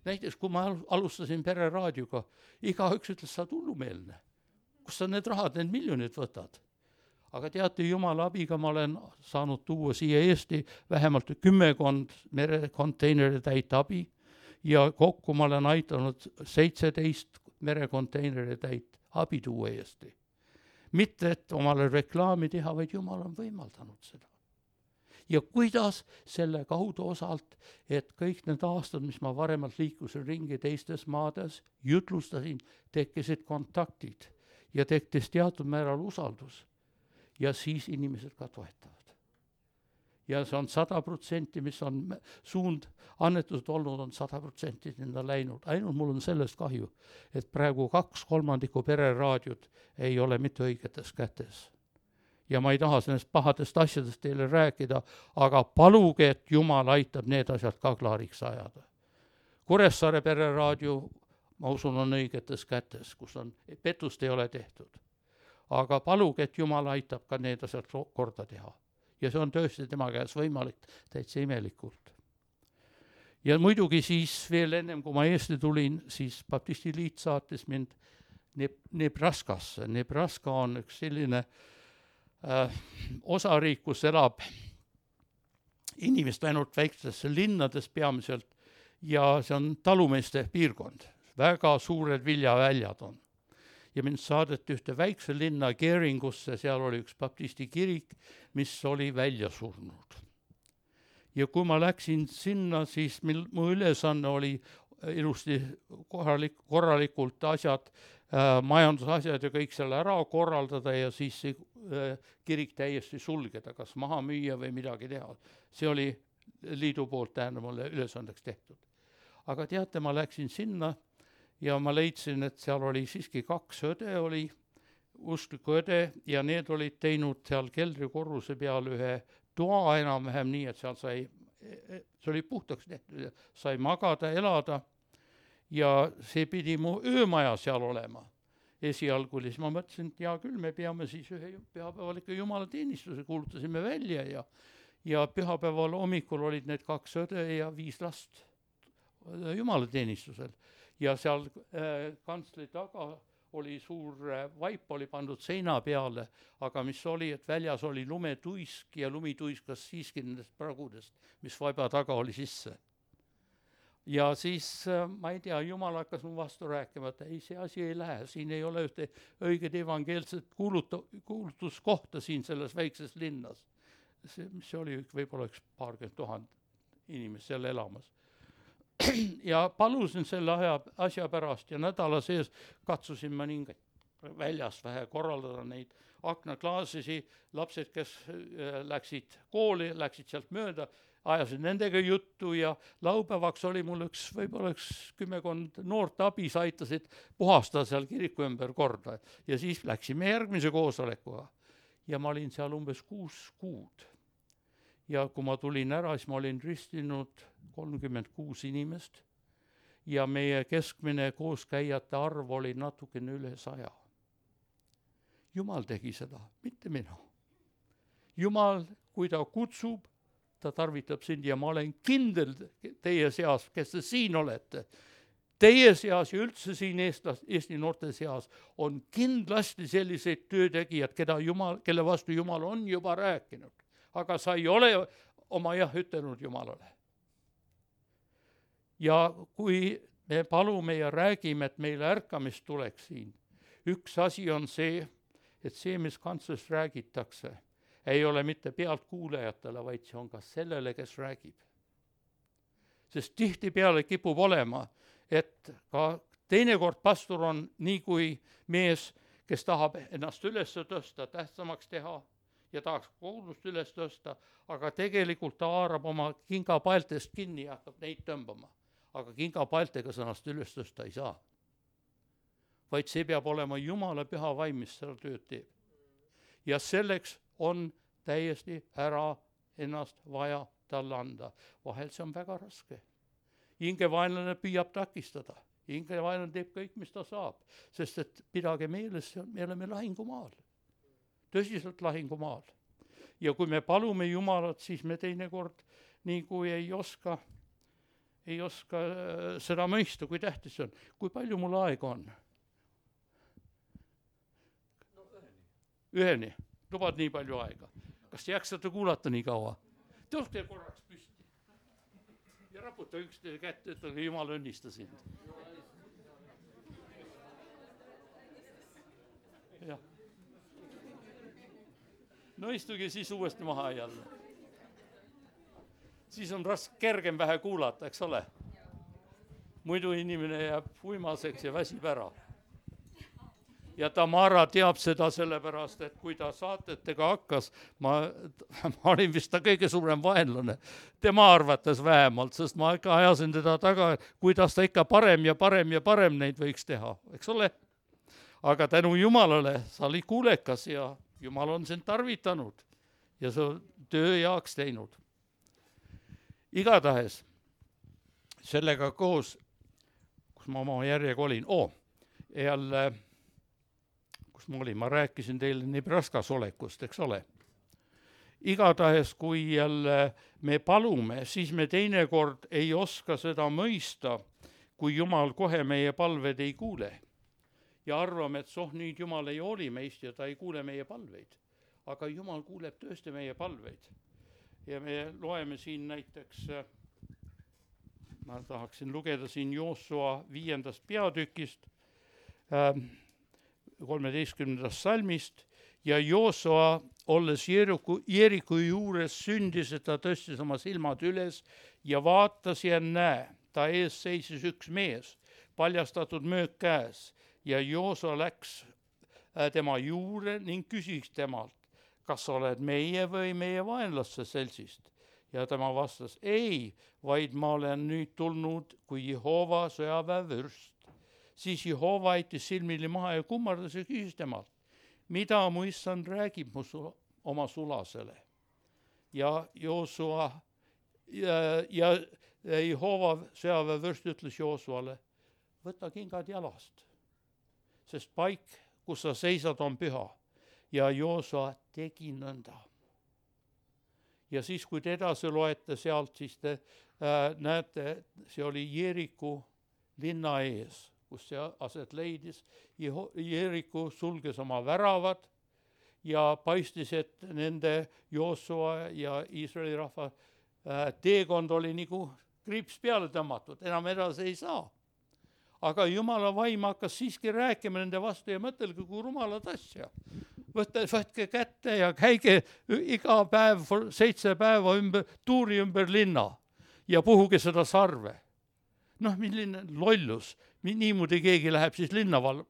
Näiteks, kui ma alustasin Pereraadioga, igaüks ütles, sa hullumeelne. Kus sa need rahad, need miljonid võtad? Aga teate, Jumala abiga ma olen saanud tuua siia Eesti vähemalt kümmekond merekonteineri täit abi ja kokku ma olen aitanud seitseteist merekonteineri täit abi tuua Eesti. Mitte, et omale reklaami teha, vaid Jumal on võimaldanud seda. Ja kuidas selle kaudu osalt, et kõik need aastad, mis ma varemalt liikusin ringi teistes maades, jutlustasin, tekkisid kontaktid ja tekkis teatud määral usaldus. Ja siis inimesed ka toetavad. Ja see on sada protsenti, mis on suund annetused olnud, on sada protsenti nende läinud. Ainult mul on sellest kahju, et praegu kaks kolmandikku Pereraadiot ei ole mitte õigetes kätes. Ja ma ei taha sellest pahadest asjadest teile rääkida, aga paluge, et Jumal aitab need asjad ka klaariks ajada. Kuressaare Pereraadio, ma usun, on õigetes kätes, kus on, petust ei ole tehtud. Aga paluge, et Jumal aitab ka need asjad korda teha. Ja see on tõesti tema käes võimalik täitsa imelikult. Ja muidugi siis veel ennem, kui ma Eesti tulin, siis Baptisti Liit saatis mind Nebraskasse. Nebraska on üks selline äh, osariik, kus elab inimest ainult väikses linnades peamiselt ja see on talumeeste piirkond. Väga suured viljaväljad on. Ja mind saadeti ühte väikse linna Geringusse, seal oli üks baptisti kirik, mis oli välja surnud. Ja kui ma läksin sinna, siis mil, mu ülesanne oli ilusti korralik, korralikult asjad, äh, majandusasjad ja kõik selle ära korraldada ja siis see äh, kirik täiesti sulgeda, kas maha müüa või midagi teha. See oli liidu poolt tähendab mulle ülesandeks tehtud. Aga teate, ma läksin sinna, ja ma leidsin, et seal oli siiski kaks õde, oli uskliku õde ja need olid teinud seal keldrikorruse peal ühe toa enam-vähem nii, et seal sai, see oli puhtaks tehtud, sai magada, elada ja see pidi mu öömaja seal olema. esialgu oli, siis ma mõtlesin, et hea küll, me peame siis ühe pühapäeval ikka jumalateenistuse, kuulutasime välja ja ja pühapäeval hommikul olid need kaks õde ja viis last jumalateenistusel. Ja seal äh, kantsli taga oli suur äh, vaip, oli pandud seina peale, aga mis oli, et väljas oli lumetuisk ja lumi tuiskas siiski nendest pragudest, mis vaiba taga oli sisse. Ja siis, äh, ma ei tea, Jumal hakkas mu vastu rääkima, et ei, see asi ei lähe, siin ei ole ühte õiget evangeelset kuuluta, kuulutuskohta siin selles väikses linnas. See, see oli võib-olla üks paarkümmend tuhand inimest seal elamas. Ja palusin selle aja, asja pärast ja nädala sees katsusin ma nii väljast vähe korraldada neid aknaklaasisi, lapsed, kes läksid kooli, läksid sealt mööda, ajasid nendega juttu ja laupäevaks oli mul üks, võib-olla üks kümmekond noort abis, aitasid puhastada seal kiriku ümber korda ja siis läksime järgmise koosolekuga ja ma olin seal umbes kuus kuud. Ja kui ma tulin ära, siis ma olin ristinud kolmkümmend kuus inimest ja meie keskmine kooskäijate arv oli natukene üle saja. Jumal tegi seda, mitte mina. Jumal, kui ta kutsub, ta tarvitab sind ja ma olen kindel teie seas, kes te siin olete. Teie seas ja üldse siin Eestlas, Eesti noorte seas on kindlasti selliseid töötegijad, keda Jumal, kelle vastu Jumal on juba rääkinud. Aga sa ei ole oma jah ütelnud Jumalale. Ja kui me palume ja räägime, et meile ärkamist tuleks siin, üks asi on see, et see, mis kantsust räägitakse, ei ole mitte pealt kuulajatele, vaid see on ka sellele, kes räägib. Sest tihti peale kipub olema, et ka teinekord pastor on nii kui mees, kes tahab ennast üles tõsta, tähtsamaks teha, ja tahaks kogudust üles tõsta, aga tegelikult ta haarab oma kingapaeltest kinni ja hakkab neid tõmbama. Aga kingapaeltega sõnast üles tõsta ei saa. Vaid see peab olema Jumala püha vaim, mis seda tööd teeb. Ja selleks on täiesti ära ennast vaja talle anda. Vahel see on väga raske. Hingevaenlane püüab takistada. Hingevaenlane teeb kõik, mis ta saab. Sest et pidage meeles, me oleme lahingumaal. Tõsiselt lahingumaal. Ja kui me palume Jumalat, siis me teinekord nii kui ei oska, ei oska seda mõista, kui tähtis on. Kui palju mul aega on? No üheni. Üheni. Lubad nii palju aega. Kas jaksate kuulata nii kaua? Tõuske korraks püsti. Ja raputa üksteise kätte, et Jumal õnnista sind. Jah. No istuge siis uuesti maha jälle. Siis on raske kergem vähe kuulata, eks ole? Muidu inimene jääb uimaseks ja väsib ära. Ja Tamara teab seda sellepärast, et kui ta saatetega hakkas, ma, ma olin vist ta kõige suurem vaenlane. Tema arvates vähemalt, sest ma ikka ajasin teda taga, kuidas ta ikka parem ja parem ja parem neid võiks teha, eks ole? Aga tänu Jumalale sa oli kuulekas ja Jumal on sind tarvitanud ja sa töö jaoks teinud. Igatahes sellega koos, kus ma oma järjega olin, oo, jälle, kus ma olin, ma rääkisin teile Nebraskas olekust, eks ole. Igatahes, kui jälle me palume, siis me teinekord ei oska seda mõista, kui Jumal kohe meie palved ei kuule. Ja arvame, et soh, nüüd Jumal ei hooli meist ja ta ei kuule meie palveid. Aga Jumal kuuleb tõesti meie palveid. Ja me loeme siin näiteks, ma tahaksin lugeda siin Joosua viiendast peatükist, kolmeteistkümnendast salmist, ja Joosua, olles Jeriku, Jeriku juures sündis, et ta tõstis oma silmad üles ja vaatas ja näe, ta ees seisis üks mees, paljastatud möök käes. Ja Joosua läks tema juurde ning küsis temalt, kas oled meie või meie vaenlaste selsist? Ja tema vastas, ei, vaid ma olen nüüd tulnud kui Jehova sõjaväevürst. Siis Jehova aitis silmili maha ja kummardas ja küsis temalt, mida mu issand räägib mu su- oma sulasele? Ja Joosua ja, ja Jehova sõjaväevürst ütles Joosuale, võta kingad jalast. sest paik, kus sa seisad, on püha. Ja Joosua tegi nõnda. Ja siis, kui te edasi loete sealt, siis te äh, näete, see oli Jeeriku linna ees, kus see aset leidis. Jeeriku sulges oma väravad ja paistis, et nende Joosua ja Iisraeli rahva äh, teekond oli nagu kriips peale tõmmatud, enam edasi ei saa. Aga Jumala vaim hakkas siiski rääkima nende vastu ja mõtelge, kui rumalad asja. Võtte, võtke kätte ja käige iga päev, seitse päeva ümber, tuuri ümber linna ja puhuge seda sarve. Noh, milline lollus. Niimoodi keegi läheb siis linna val-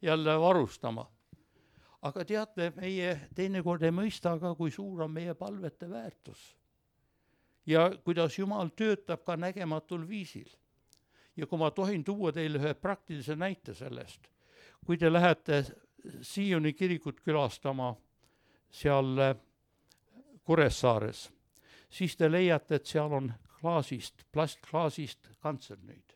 jälle varustama. Aga teate, meie teinekord ei mõista ka, kui suur on meie palvete väärtus. Ja kuidas Jumal töötab ka nägematul viisil. Ja kui ma tohin tuua teile ühe praktilise näite sellest, kui te lähete Sioni kirikut külastama seal Kuressaares, siis te leiate, et seal on klaasist, plastklaasist kantsel nüüd.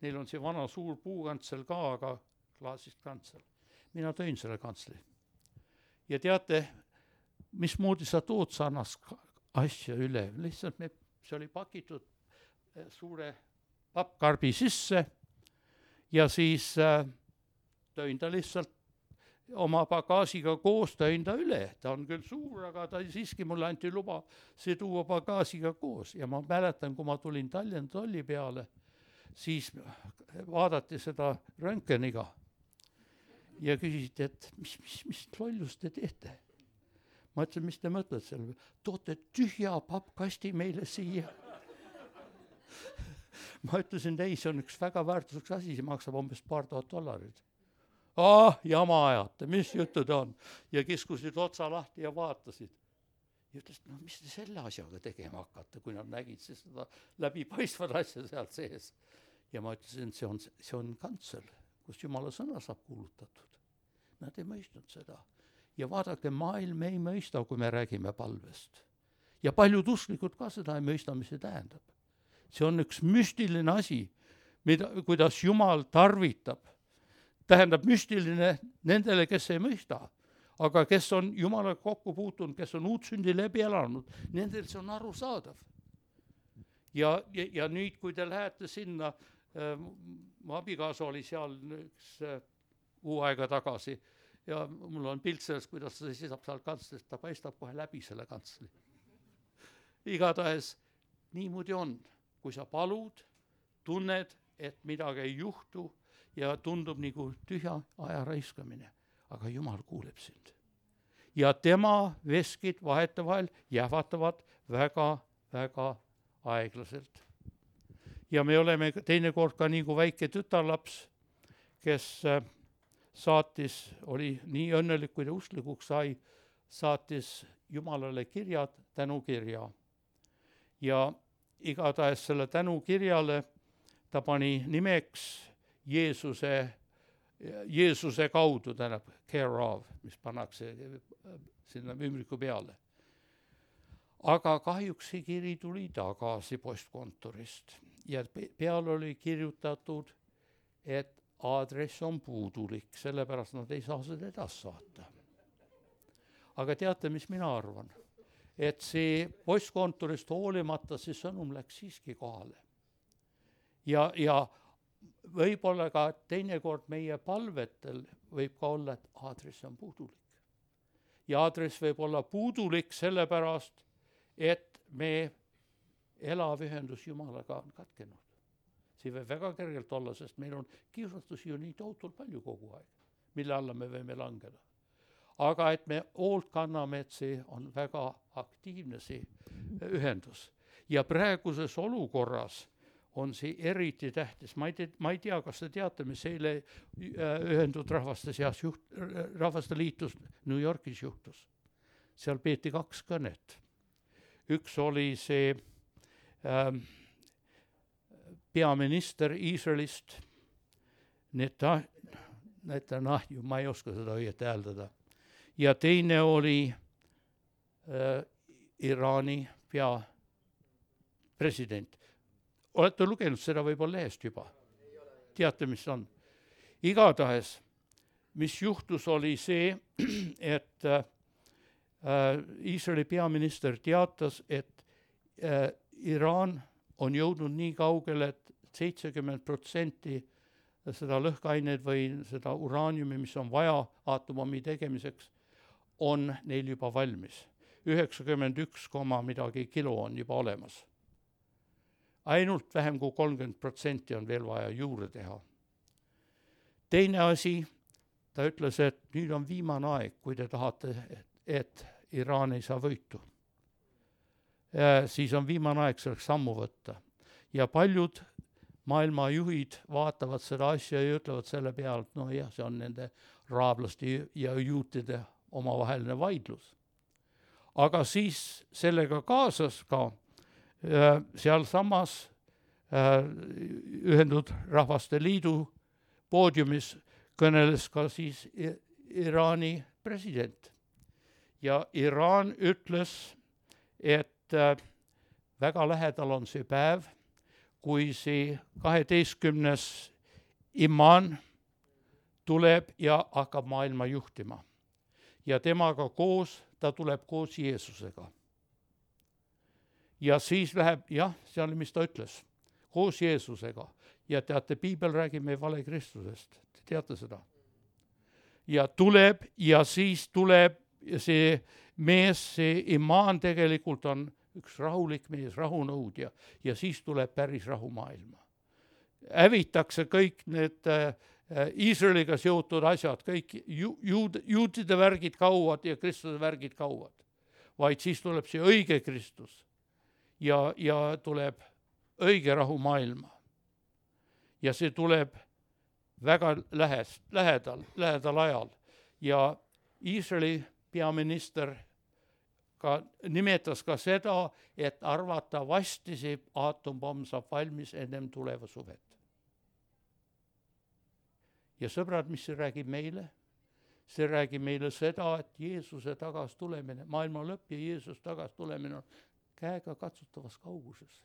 Neil on see vana suur puukantsel ka, aga klaasist kantsel. Mina tõin selle kantsli. Ja teate, mismoodi sa tood sarnast asja üle? Lihtsalt me, see oli pakitud suure pappkarbi sisse ja siis äh, tõin ta lihtsalt oma bagaasiga koos, tõin ta üle. Ta on küll suur, aga ta siiski mulle anti luba see tuua bagaasiga koos. Ja ma mäletan, kui ma tulin Tallinna tolli peale, siis vaadati seda röntgeniga ja küsiti, et mis, mis, mis lollust te teete? Ma ütlesin, mis te mõtled selle? Toote tühja pappkasti meile siia. Ma ütlesin, ei, see on üks väga väärtuseks asi, see maksab umbes paar tuhat dollarit. Ah, jama ajate, mis jutud on? Ja kiskusid otsa lahti ja vaatasid. Ja ütlesid, no mis te selle asjaga tegema hakkate, kui nad nägid siis seda läbipaistvad asja sealt sees. Ja ma ütlesin, see on, see on kantsel, kus Jumala sõna saab kuulutatud. Nad ei mõistnud seda. Ja vaadake, maailm ei mõista, kui me räägime palvest. Ja paljud usklikud ka seda ei mõista, mis see tähendab. See on üks müstiline asi, mida, kuidas Jumal tarvitab. Tähendab müstiline nendele, kes ei mõista, aga kes on Jumala kokku puutunud, kes on uut sündi läbi elanud, nendel see on arusaadav. Ja, ja, ja nüüd, kui te lähete sinna, äh, mu abikaasa oli seal üks äh, uu aega tagasi ja mul on pilt sellest, kuidas ta seisab seal kantslist, ta paistab kohe läbi selle kantsli. Igatahes niimoodi on, kui sa palud, tunned, et midagi ei juhtu, ja tundub nagu tühja aja raiskamine, aga Jumal kuuleb sind. Ja tema veskid vahetevahel jäävatavad väga, väga aeglaselt. Ja me oleme teinekord ka nagu väike tütarlaps, kes saatis, oli nii õnnelik, kui ta usklikuks sai, saatis Jumalale kirjad, tänukirja. Ja igatahes selle tänukirjale ta pani nimeks Jeesuse, Jeesuse kaudu, tähendab care of, mis pannakse sinna ümbriku peale. Aga kahjuks see kiri tuli tagasi postkontorist ja peal oli kirjutatud, et aadress on puudulik, sellepärast nad ei saa seda edasi saata. Aga teate, mis mina arvan? Et see postkontorist hoolimata see sõnum läks siiski kohale. Ja, ja võib-olla ka teinekord meie palvetel võib ka olla, et aadress on puudulik. Ja aadress võib olla puudulik sellepärast, et me elav ühendus Jumalaga on katkenud. See võib väga kergelt olla, sest meil on kiusastusi ju nii tohutult palju kogu aeg, mille alla me võime langeda. Aga et me hoolt kanname, et see on väga aktiivne see ühendus. Ja praeguses olukorras on see eriti tähtis. Ma ei, tea, ma ei tea, kas te teate, mis eile ühendud rahvaste seas juht, rahvaste liitus New Yorkis juhtus. Seal peeti kaks kõnet. Üks oli see ähm, peaminister Iisraelist, Neta, Netanyahu, ma ei oska seda õieti hääldada. Ja teine oli äh, Iraani peapresident. Olete lugenud seda võib-olla lehest juba? Teate, mis on? Igatahes mis juhtus, oli see, et äh, Iisraeli peaminister teatas, et äh, Iraan on jõudnud nii kaugele, et seitsekümmend protsenti seda lõhkeaineid või seda uraaniumi, mis on vaja aatomommi tegemiseks, on neil juba valmis. üheksakümmend üks koma midagi kilo on juba olemas. Ainult vähem kui kolmkümmend protsenti on veel vaja juurde teha. Teine asi, ta ütles, et nüüd on viimane aeg, kui te tahate, et, et Iraan ei saa võitu. Ja siis on viimane aeg selleks sammu võtta. Ja paljud maailma juhid vaatavad seda asja ja ütlevad selle peale, et no jah, see on nende raablaste ja juutide omavaheline vaidlus. Aga siis sellega kaasas ka äh, seal samas äh, Ühendatud Rahvaste Liidu poodiumis kõneles ka siis Iraani president. Ja Iraan ütles, et äh, väga lähedal on see päev, kui see kaheteistkümnes imaan tuleb ja hakkab maailma juhtima. Ja temaga koos, ta tuleb koos Jeesusega. Ja siis läheb, jah, see oli, mis ta ütles, koos Jeesusega. Ja teate, Piibel räägib meie vale Kristusest. Te teate seda? Ja tuleb ja siis tuleb see mees, see imaan tegelikult on üks rahulik mees, rahunõudja, ja siis tuleb päris rahumaailma. Hävitakse kõik need äh, Iisraeliga seotud asjad, kõik ju, juud, juutide värgid kauad ja Kristuse värgid kauad. Vaid siis tuleb see õige Kristus ja, ja tuleb õige rahumaailma. Ja see tuleb väga lähest, lähedal, lähedal ajal. Ja Iisraeli peaminister ka nimetas ka seda, et arvatavasti see aatompomm saab valmis ennem tuleva suvet. Ja sõbrad, mis see räägib meile? See räägib meile seda, et Jeesuse tagas tulemine, maailma lõpp ja Jeesus tagas tulemine on käega katsutavas kauguses.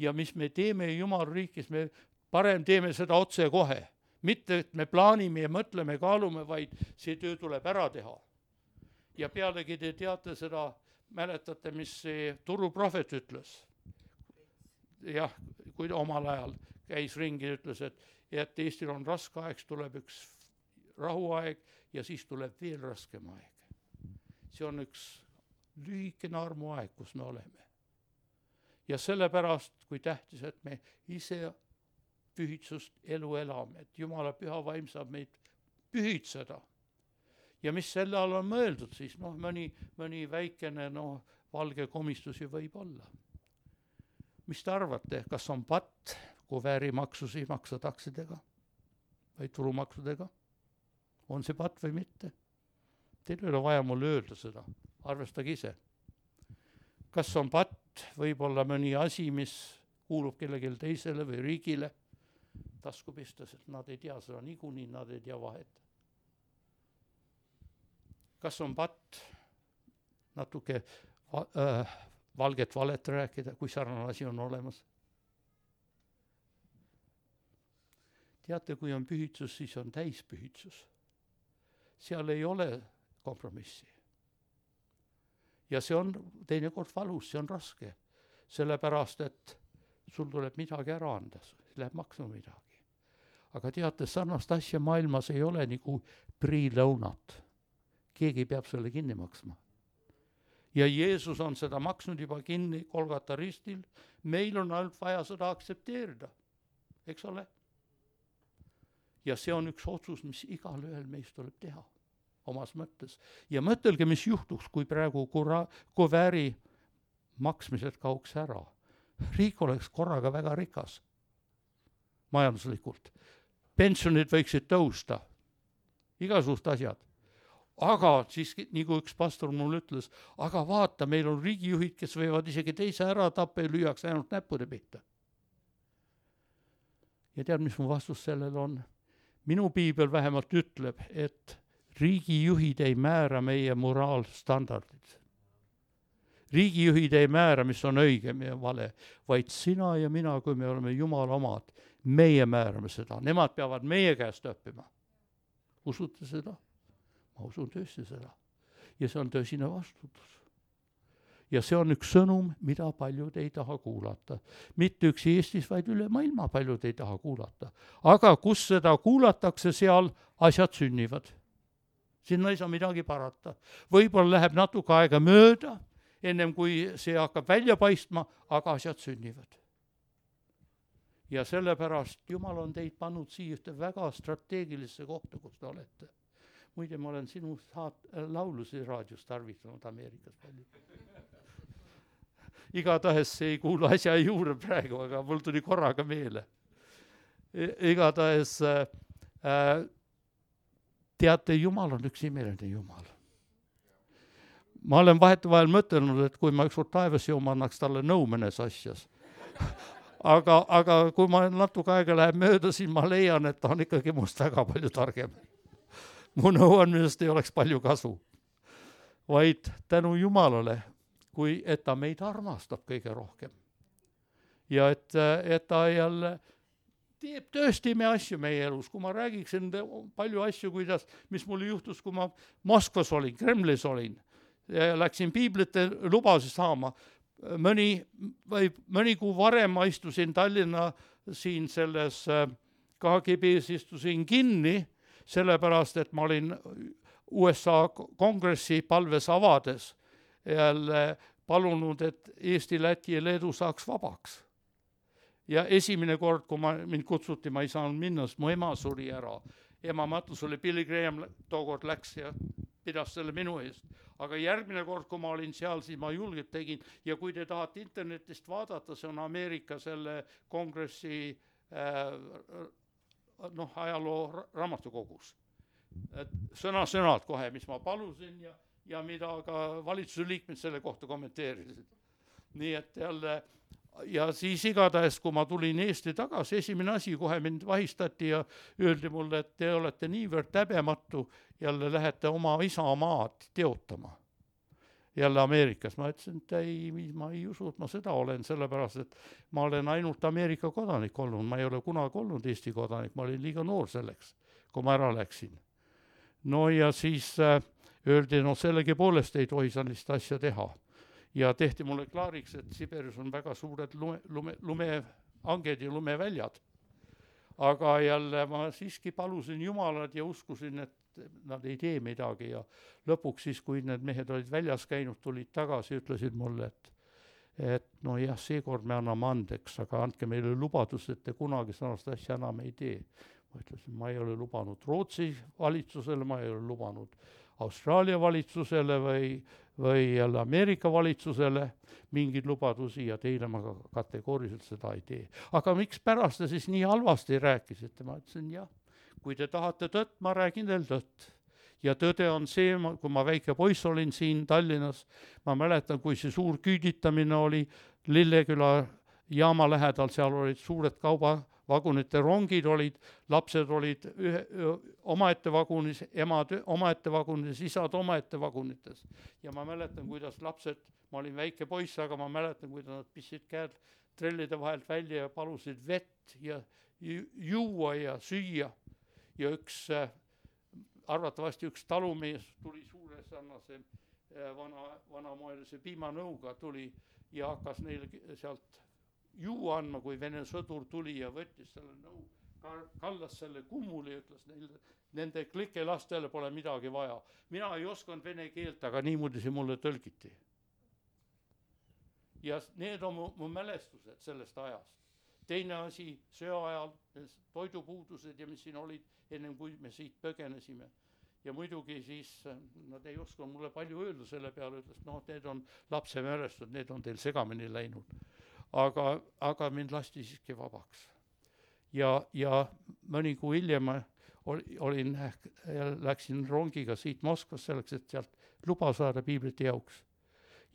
Ja mis me teeme Jumala riikis, me parem teeme seda otse kohe. Mitte, et me plaanime ja mõtleme, kaalume, vaid see töö tuleb ära teha. Ja pealegi te teate seda, mäletate, mis see turuprohvet ütles. Jah, kui omal ajal käis ringi, ütles, et, et Eestil on raske aeg, tuleb üks rahuaeg ja siis tuleb veel raskem aeg. See on üks lühikene armuaeg, kus me oleme. Ja sellepärast, kui tähtis, et me ise pühitsust elu elame, et Jumala püha vaim saab meid pühitseda. Ja mis selle all on mõeldud siis? Noh, mõni, mõni väikene no, valge komistusi võib olla. Mis te arvate, kas on patt, kui väärimaksusi maksa taksidega või turumaksudega? On see patt või mitte? Teil ei ole vaja mulle öelda seda. Arvestage ise. Kas on patt, võib olla mõni asi, mis kuulub kellelegi teisele või riigile? Tasku pistas, et nad ei tea seda niikuinii, nad ei tea vahet. Kas on patt natuke äh, valget valet rääkida, kui sarnane asi on olemas? Teate, kui on pühitsus, siis on täispühitsus. Seal ei ole kompromissi. Ja see on teinekord valus, see on raske. Sellepärast, et sul tuleb midagi ära anda, läheb maksma midagi. Aga teate, sarnast asja maailmas ei ole nagu priilõunat. Keegi peab selle kinni maksma. Ja Jeesus on seda maksnud juba kinni Golgata ristil. Meil on ainult vaja seda aktsepteerida. Eks ole? Ja see on üks otsus, mis igal ühel meist tuleb teha omas mõttes. Ja mõtelge, mis juhtuks, kui praegu kuvääri maksmised kauks ära. Riik oleks korraga väga rikas. Majanduslikult. Pensionid võiksid tõusta. Igasugused asjad. Aga siis, nagu üks pastor mul ütles, aga vaata, meil on riigijuhid, kes võivad isegi teise ära tappa ja lüüaks ainult näppude pihta. Ja tead, mis mu vastus sellel on? Minu piibel vähemalt ütleb, et riigijuhid ei määra meie moraalstandardid. Riigijuhid ei määra, mis on õige ja vale, vaid sina ja mina, kui me oleme Jumala omad, meie määrame seda. Nemad peavad meie käest õppima. Usute seda? Ma usun tõesti seda. Ja see on tõsine vastutus. Ja see on üks sõnum, mida paljud ei taha kuulata. Mitte üks Eestis, vaid üle maailma paljud ei taha kuulata. Aga kus seda kuulatakse, seal asjad sünnivad. Sinna ei saa midagi parata. Võib-olla läheb natuke aega mööda, ennem kui see hakkab välja paistma, aga asjad sünnivad. Ja sellepärast Jumal on teid pannud siia ühte väga strateegilisse kohta, kus te olete. Muide, ma olen sinu saat- laulusi raadios tarvitanud Ameerikas palju. Igatahes see ei kuulu asja juurde praegu, aga mul tuli korraga meele. Igatahes äh, teate, Jumal on üks imeline Jumal. Ma olen vahetevahel mõtelnud, et kui ma ükskord taevas jooma, annaks talle nõu mõnes asjas. aga, aga kui ma natuke aega läheb mööda, siis ma leian, et ta on ikkagi must väga palju targem. Mu nõu on, millest ei oleks palju kasu. Vaid tänu Jumalale, kui et ta meid armastab kõige rohkem. Ja et, et ta jälle teeb tõesti me asju meie elus. Kui ma räägiksin palju asju, kuidas, mis mul juhtus, kui ma Moskvas olin, Kremlis olin, ja läksin piiblite lubasi saama. Mõni, või mõni kuu varem ma istusin Tallinna siin selles K G B-s istusin kinni, sellepärast, et ma olin U S A kongressi palves avades jälle palunud, et Eesti, Läti ja Leedu saaks vabaks. Ja esimene kord, kui ma, mind kutsuti, ma ei saanud minna, sest mu ema suri ära. Ema matus oli Billy Graham, tookord läks ja pidas selle minu eest. Aga järgmine kord, kui ma olin seal, siis ma julgelt tegin. Ja kui te tahate internetist vaadata, see on Ameerika selle kongressi äh, noh, ajaloo raamatukogus. Et sõna sõnad kohe, mis ma palusin ja, ja mida ka valitsuse liikmed selle kohta kommenteerisid. Nii et jälle, ja siis igatahes, kui ma tulin Eesti tagasi, esimene asi, kohe mind vahistati ja öeldi mulle, et te olete niivõrd häbematu, jälle lähete oma isa maad teotama. Jälle Ameerikas. Ma ütlesin, et ei, ma ei usu, et ma seda olen, sellepärast, et ma olen ainult Ameerika kodanik olnud. Ma ei ole kunagi olnud Eesti kodanik, ma olin liiga noor selleks, kui ma ära läksin. No ja siis äh, öeldi, no sellegi poolest ei tohi sellist asja teha. Ja tehti mulle klaariks, et Siberis on väga suured lume, lume, lumeanged ja lumeväljad. Aga jälle ma siiski palusin Jumalat ja uskusin, et nad ei tee midagi ja lõpuks siis, kui need mehed olid väljas käinud, tulid tagasi, ütlesid mulle, et, et no jah, seekord me anname andeks, aga andke meile lubadus, et te kunagi sõnast asja enam ei tee. Ma ütlesin, ma ei ole lubanud Rootsi valitsusele, ma ei ole lubanud Austraalia valitsusele või, või jälle Ameerika valitsusele mingeid lubadusi ja teile ma kategooriliselt seda ei tee. Aga miks pärast te siis nii halvasti rääkisite? Ma ütlesin, jah, kui te tahate tõtt, ma räägin teil tõtt. Ja tõde on see, kui ma väike poiss olin siin Tallinnas, ma mäletan, kui see suur küüditamine oli Lilleküla jaama lähedal, seal olid suured kaubavagunite rongid olid, lapsed olid ühe, omaette vagunis, emad omaette vagunis, isad omaette vagunites. Ja ma mäletan, kuidas lapsed, ma olin väike poiss, aga ma mäletan, kuidas nad pissid käed trellide vahelt välja ja palusid vett ja juua ja süüa. Ja üks, arvatavasti üks talumees tuli suure sarnase vana, vanamoelise piimanõuga tuli ja hakkas neile sealt juua andma, kui Vene sõdur tuli ja võttis selle nõu, kallas selle kummuli ja ütles neile, nende klike lastele pole midagi vaja. Mina ei osanud vene keelt, aga niimoodi see mulle tõlgiti. Ja need on mu, mu mälestused sellest ajast. Teine asi, söö ajal, toidupuudused ja mis siin olid, ennem kui me siit põgenesime. Ja muidugi siis nad ei oska mulle palju öelda selle peale, ütles, noh, need on lapse mälestud, need on teil segamini läinud. Aga, aga mind lasti siiski vabaks. Ja, ja mõni kuu hiljem olin, läksin rongiga siit Moskvas selleks, et sealt luba saada piiblite jauks.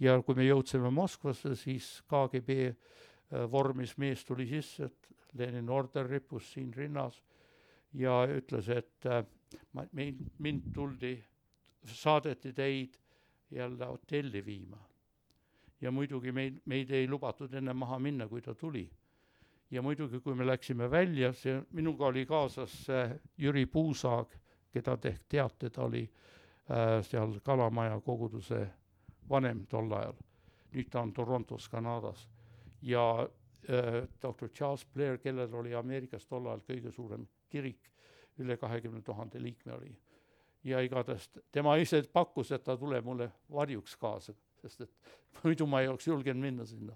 Ja kui me jõudsime Moskvasse, siis K G B vormis mees tuli sisse, et Lenin order rippus siin rinnas ja ütles, et ma, mind tuldi, saadeti teid jälle hotelli viima. Ja muidugi meid, meid ei lubatud enne maha minna, kui ta tuli. Ja muidugi, kui me läksime välja, see, minuga oli kaasas Jüri Puusaag, keda te ehk teate, ta oli äh, seal Kalamaja koguduse vanem tol ajal. Nüüd ta on Torontos, Kanadas. Ja äh, doktor Charles Blair, kellel oli Ameerikas tol ajal kõige suurem kirik, üle kahekümne tuhande liikme oli. Ja igatest tema ise pakkus, et ta tuleb mulle varjuks kaasa, sest et muidu ma ei oleks julgenud minna sinna.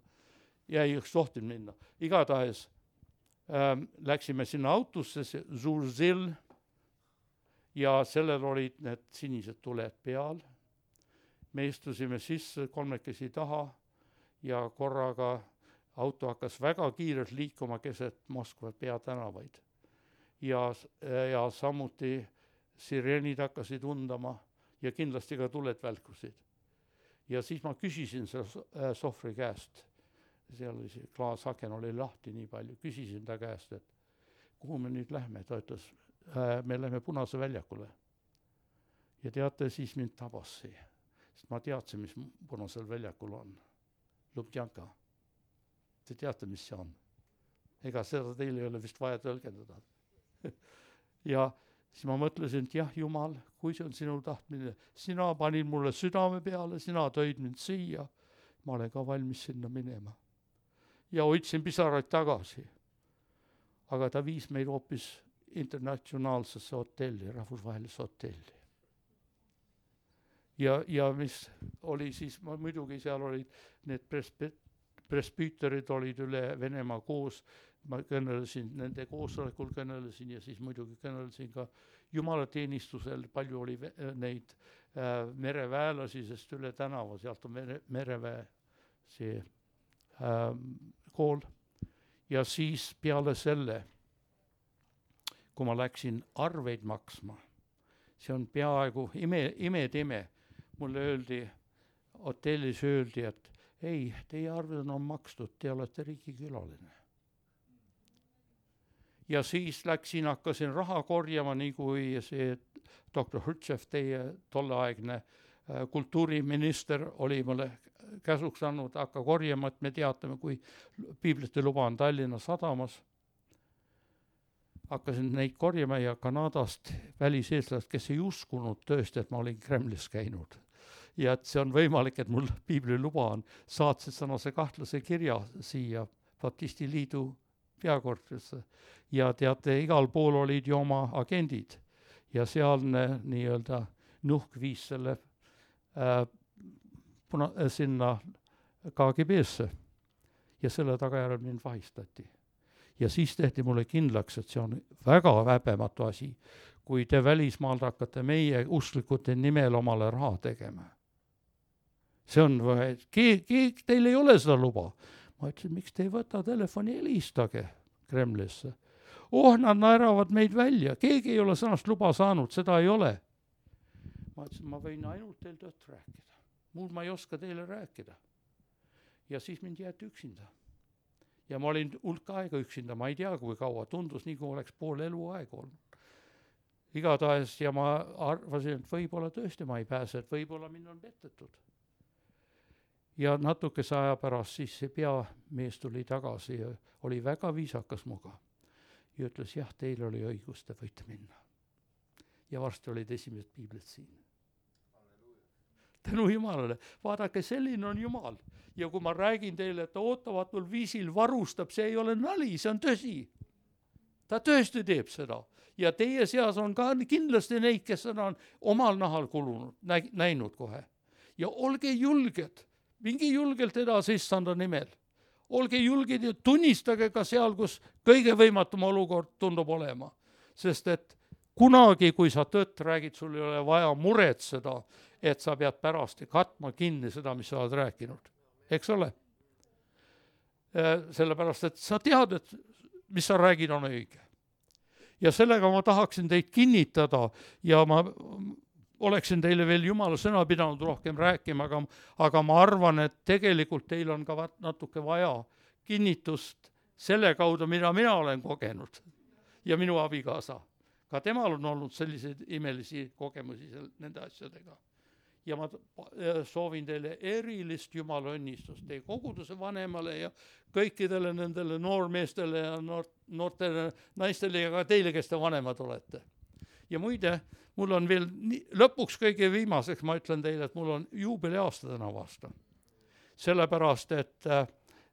Ja ei oleks tohtinud minna. Igatahes ähm, läksime sinna autosse, Zurzil, ja sellel olid need sinised tuled peal. Me istusime sisse kolmekesi taha ja korraga auto hakkas väga kiirelt liikuma keset Moskva peatänavaid. Ja, ja samuti sireenid hakkasid undama ja kindlasti ka tuled välkusid. Ja siis ma küsisin selle sohvri käest, seal oli see klaasaken oli lahti nii palju, küsisin ta käest, et kuhu me nüüd lähme, ta ütles, me lähme Punase väljakule. Ja teate, siis mind tabas see, sest ma teadsin, mis Punasel väljakul on. Lubjanka. Te teate, mis see on. Ega seda teil ei ole vist vaja tõlgendada. Ja siis ma mõtlesin, et jah, Jumal, kui see on sinu tahtmine, sina panid mulle südame peale, sina tõid mind siia, ma olen ka valmis sinna minema. Ja hoidsin pisaraid tagasi. Aga ta viis meid hoopis internatsionaalsesse hotelli, rahvusvahelisse hotelli. Ja, ja mis oli siis, ma muidugi seal olid need presp- presbüüterid olid üle Venemaa koos, ma kõnelesin, nende koosolekul kõnelesin ja siis muidugi kõnelesin ka jumalateenistusel, palju oli neid äh, mereväelasi, sest üle tänava, sealt on mere, mereväe see äh, kool. Ja siis peale selle, kui ma läksin arveid maksma, see on peaaegu ime, imetime, mulle öeldi, hotellis öeldi, et ei, teie arved on makstud, te olete riigikülaline. Ja siis läksin, hakkasin raha korjama, nii kui see doktor Hrtšev, teie tolleaegne kultuuriminister oli mulle käsuks andnud, hakka korjama, et me teatame, kui piiblite luba on Tallinna sadamas. Hakkasin neid korjama ja Kanadast väliseestlased, kes ei uskunud tõesti, et ma olin Kremlis käinud. Ja et see on võimalik, et mul piibli luba on, saatsid sõnase kahtlase kirja siia Baptisti liidu peakorterisse. Ja teate, igal pool olid ju oma agendid ja sealne nii-öelda nuhk viis selle äh, puna, äh, sinna K G B-sse ja selle tagajärjel mind vahistati. Ja siis tehti mulle kindlaks, et see on väga häbematu asi, kui te välismaalt hakkate meie usklikute nimel omale raha tegema. See on, keeg, keeg, teil ei ole seda luba. Ma ütlesin, miks te ei võta telefoni, helistage Kremlisse. Oh, nad naeravad meid välja. Keegi ei ole sõnast luba saanud, seda ei ole. Ma ütlesin, ma võin ainult teil tõtt rääkida. Muud ma ei oska teile rääkida. Ja siis mind jäeti üksinda. Ja ma olin hulk aega üksinda, ma ei tea, kui kaua. Tundus nii, kui oleks pool elu aega olnud. Igatahes ja ma arvasin, et võib-olla tõesti ma ei pääse, et võib-olla mind on pettetud. Ja natukese aja pärast siis see peamees tuli tagasi ja oli väga viisakas muga. Ja ütles, jah, teil oli õigus, te võite minna. Ja varsti olid esimesed piiblid siin. Tänu Jumalale. Vaadake, selline on Jumal. Ja kui ma räägin teile, et ta ootavatul viisil varustab, see ei ole nali, see on tõsi. Ta tõesti teeb seda. Ja teie seas on ka kindlasti neid, kes on omal nahal kulunud, näinud kohe. Ja olge julged. Mingi julgelt edasi issanda nimel. Olge julged ja tunnistage ka seal, kus kõige võimatum olukord tundub olema. Sest et kunagi, kui sa tõtt räägid, sul ei ole vaja muretseda, et sa pead pärast katma kinni seda, mis sa oled rääkinud. Eks ole? Sellepärast, et sa tead, et mis sa räägid on õige. Ja sellega ma tahaksin teid kinnitada ja ma oleksin teile veel Jumala sõna pidanud rohkem rääkima, aga, aga ma arvan, et tegelikult teil on ka natuke vaja kinnitust selle kaudu, mida mina olen kogenud ja minu abikaasa. Ka temal on olnud selliseid imelisi kogemusi nende asjadega. Ja ma soovin teile erilist Jumala õnnistust teie koguduse vanemale ja kõikidele nendele noormeestele ja noort, noortele naistele ja ka teile, kes te vanemad olete. ja muide, mul on veel nii, lõpuks kõige viimaseks, ma ütlen teile, et mul on juubeliaasta tänavu aasta. Sellepärast, et äh,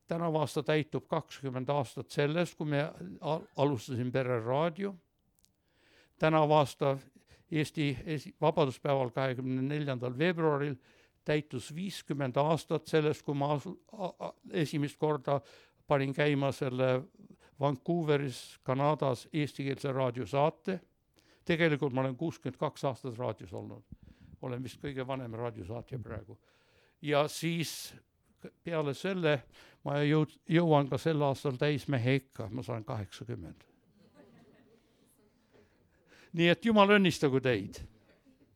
tänavu aasta täitub kakskümmend aastat sellest, kui me al- alustasin Pere Raadio. Tänavu aasta Eesti esi- vabaduspäeval kahekümne neljandal veebruaril täitus viiskümmend aastat sellest, kui ma asu, a, a, esimest korda panin käima selle Vancouveris, Kanadas eestikeelse raadiosaate. Tegelikult ma olen kuuskümmend kaks aastat raadios olnud. Olen vist kõige vanem raadiosaatja praegu. Ja siis peale selle ma jõud, jõuan ka sel aastal täismehe ikka, ma saan kaheksakümmend. Nii et Jumal õnnistagu teid.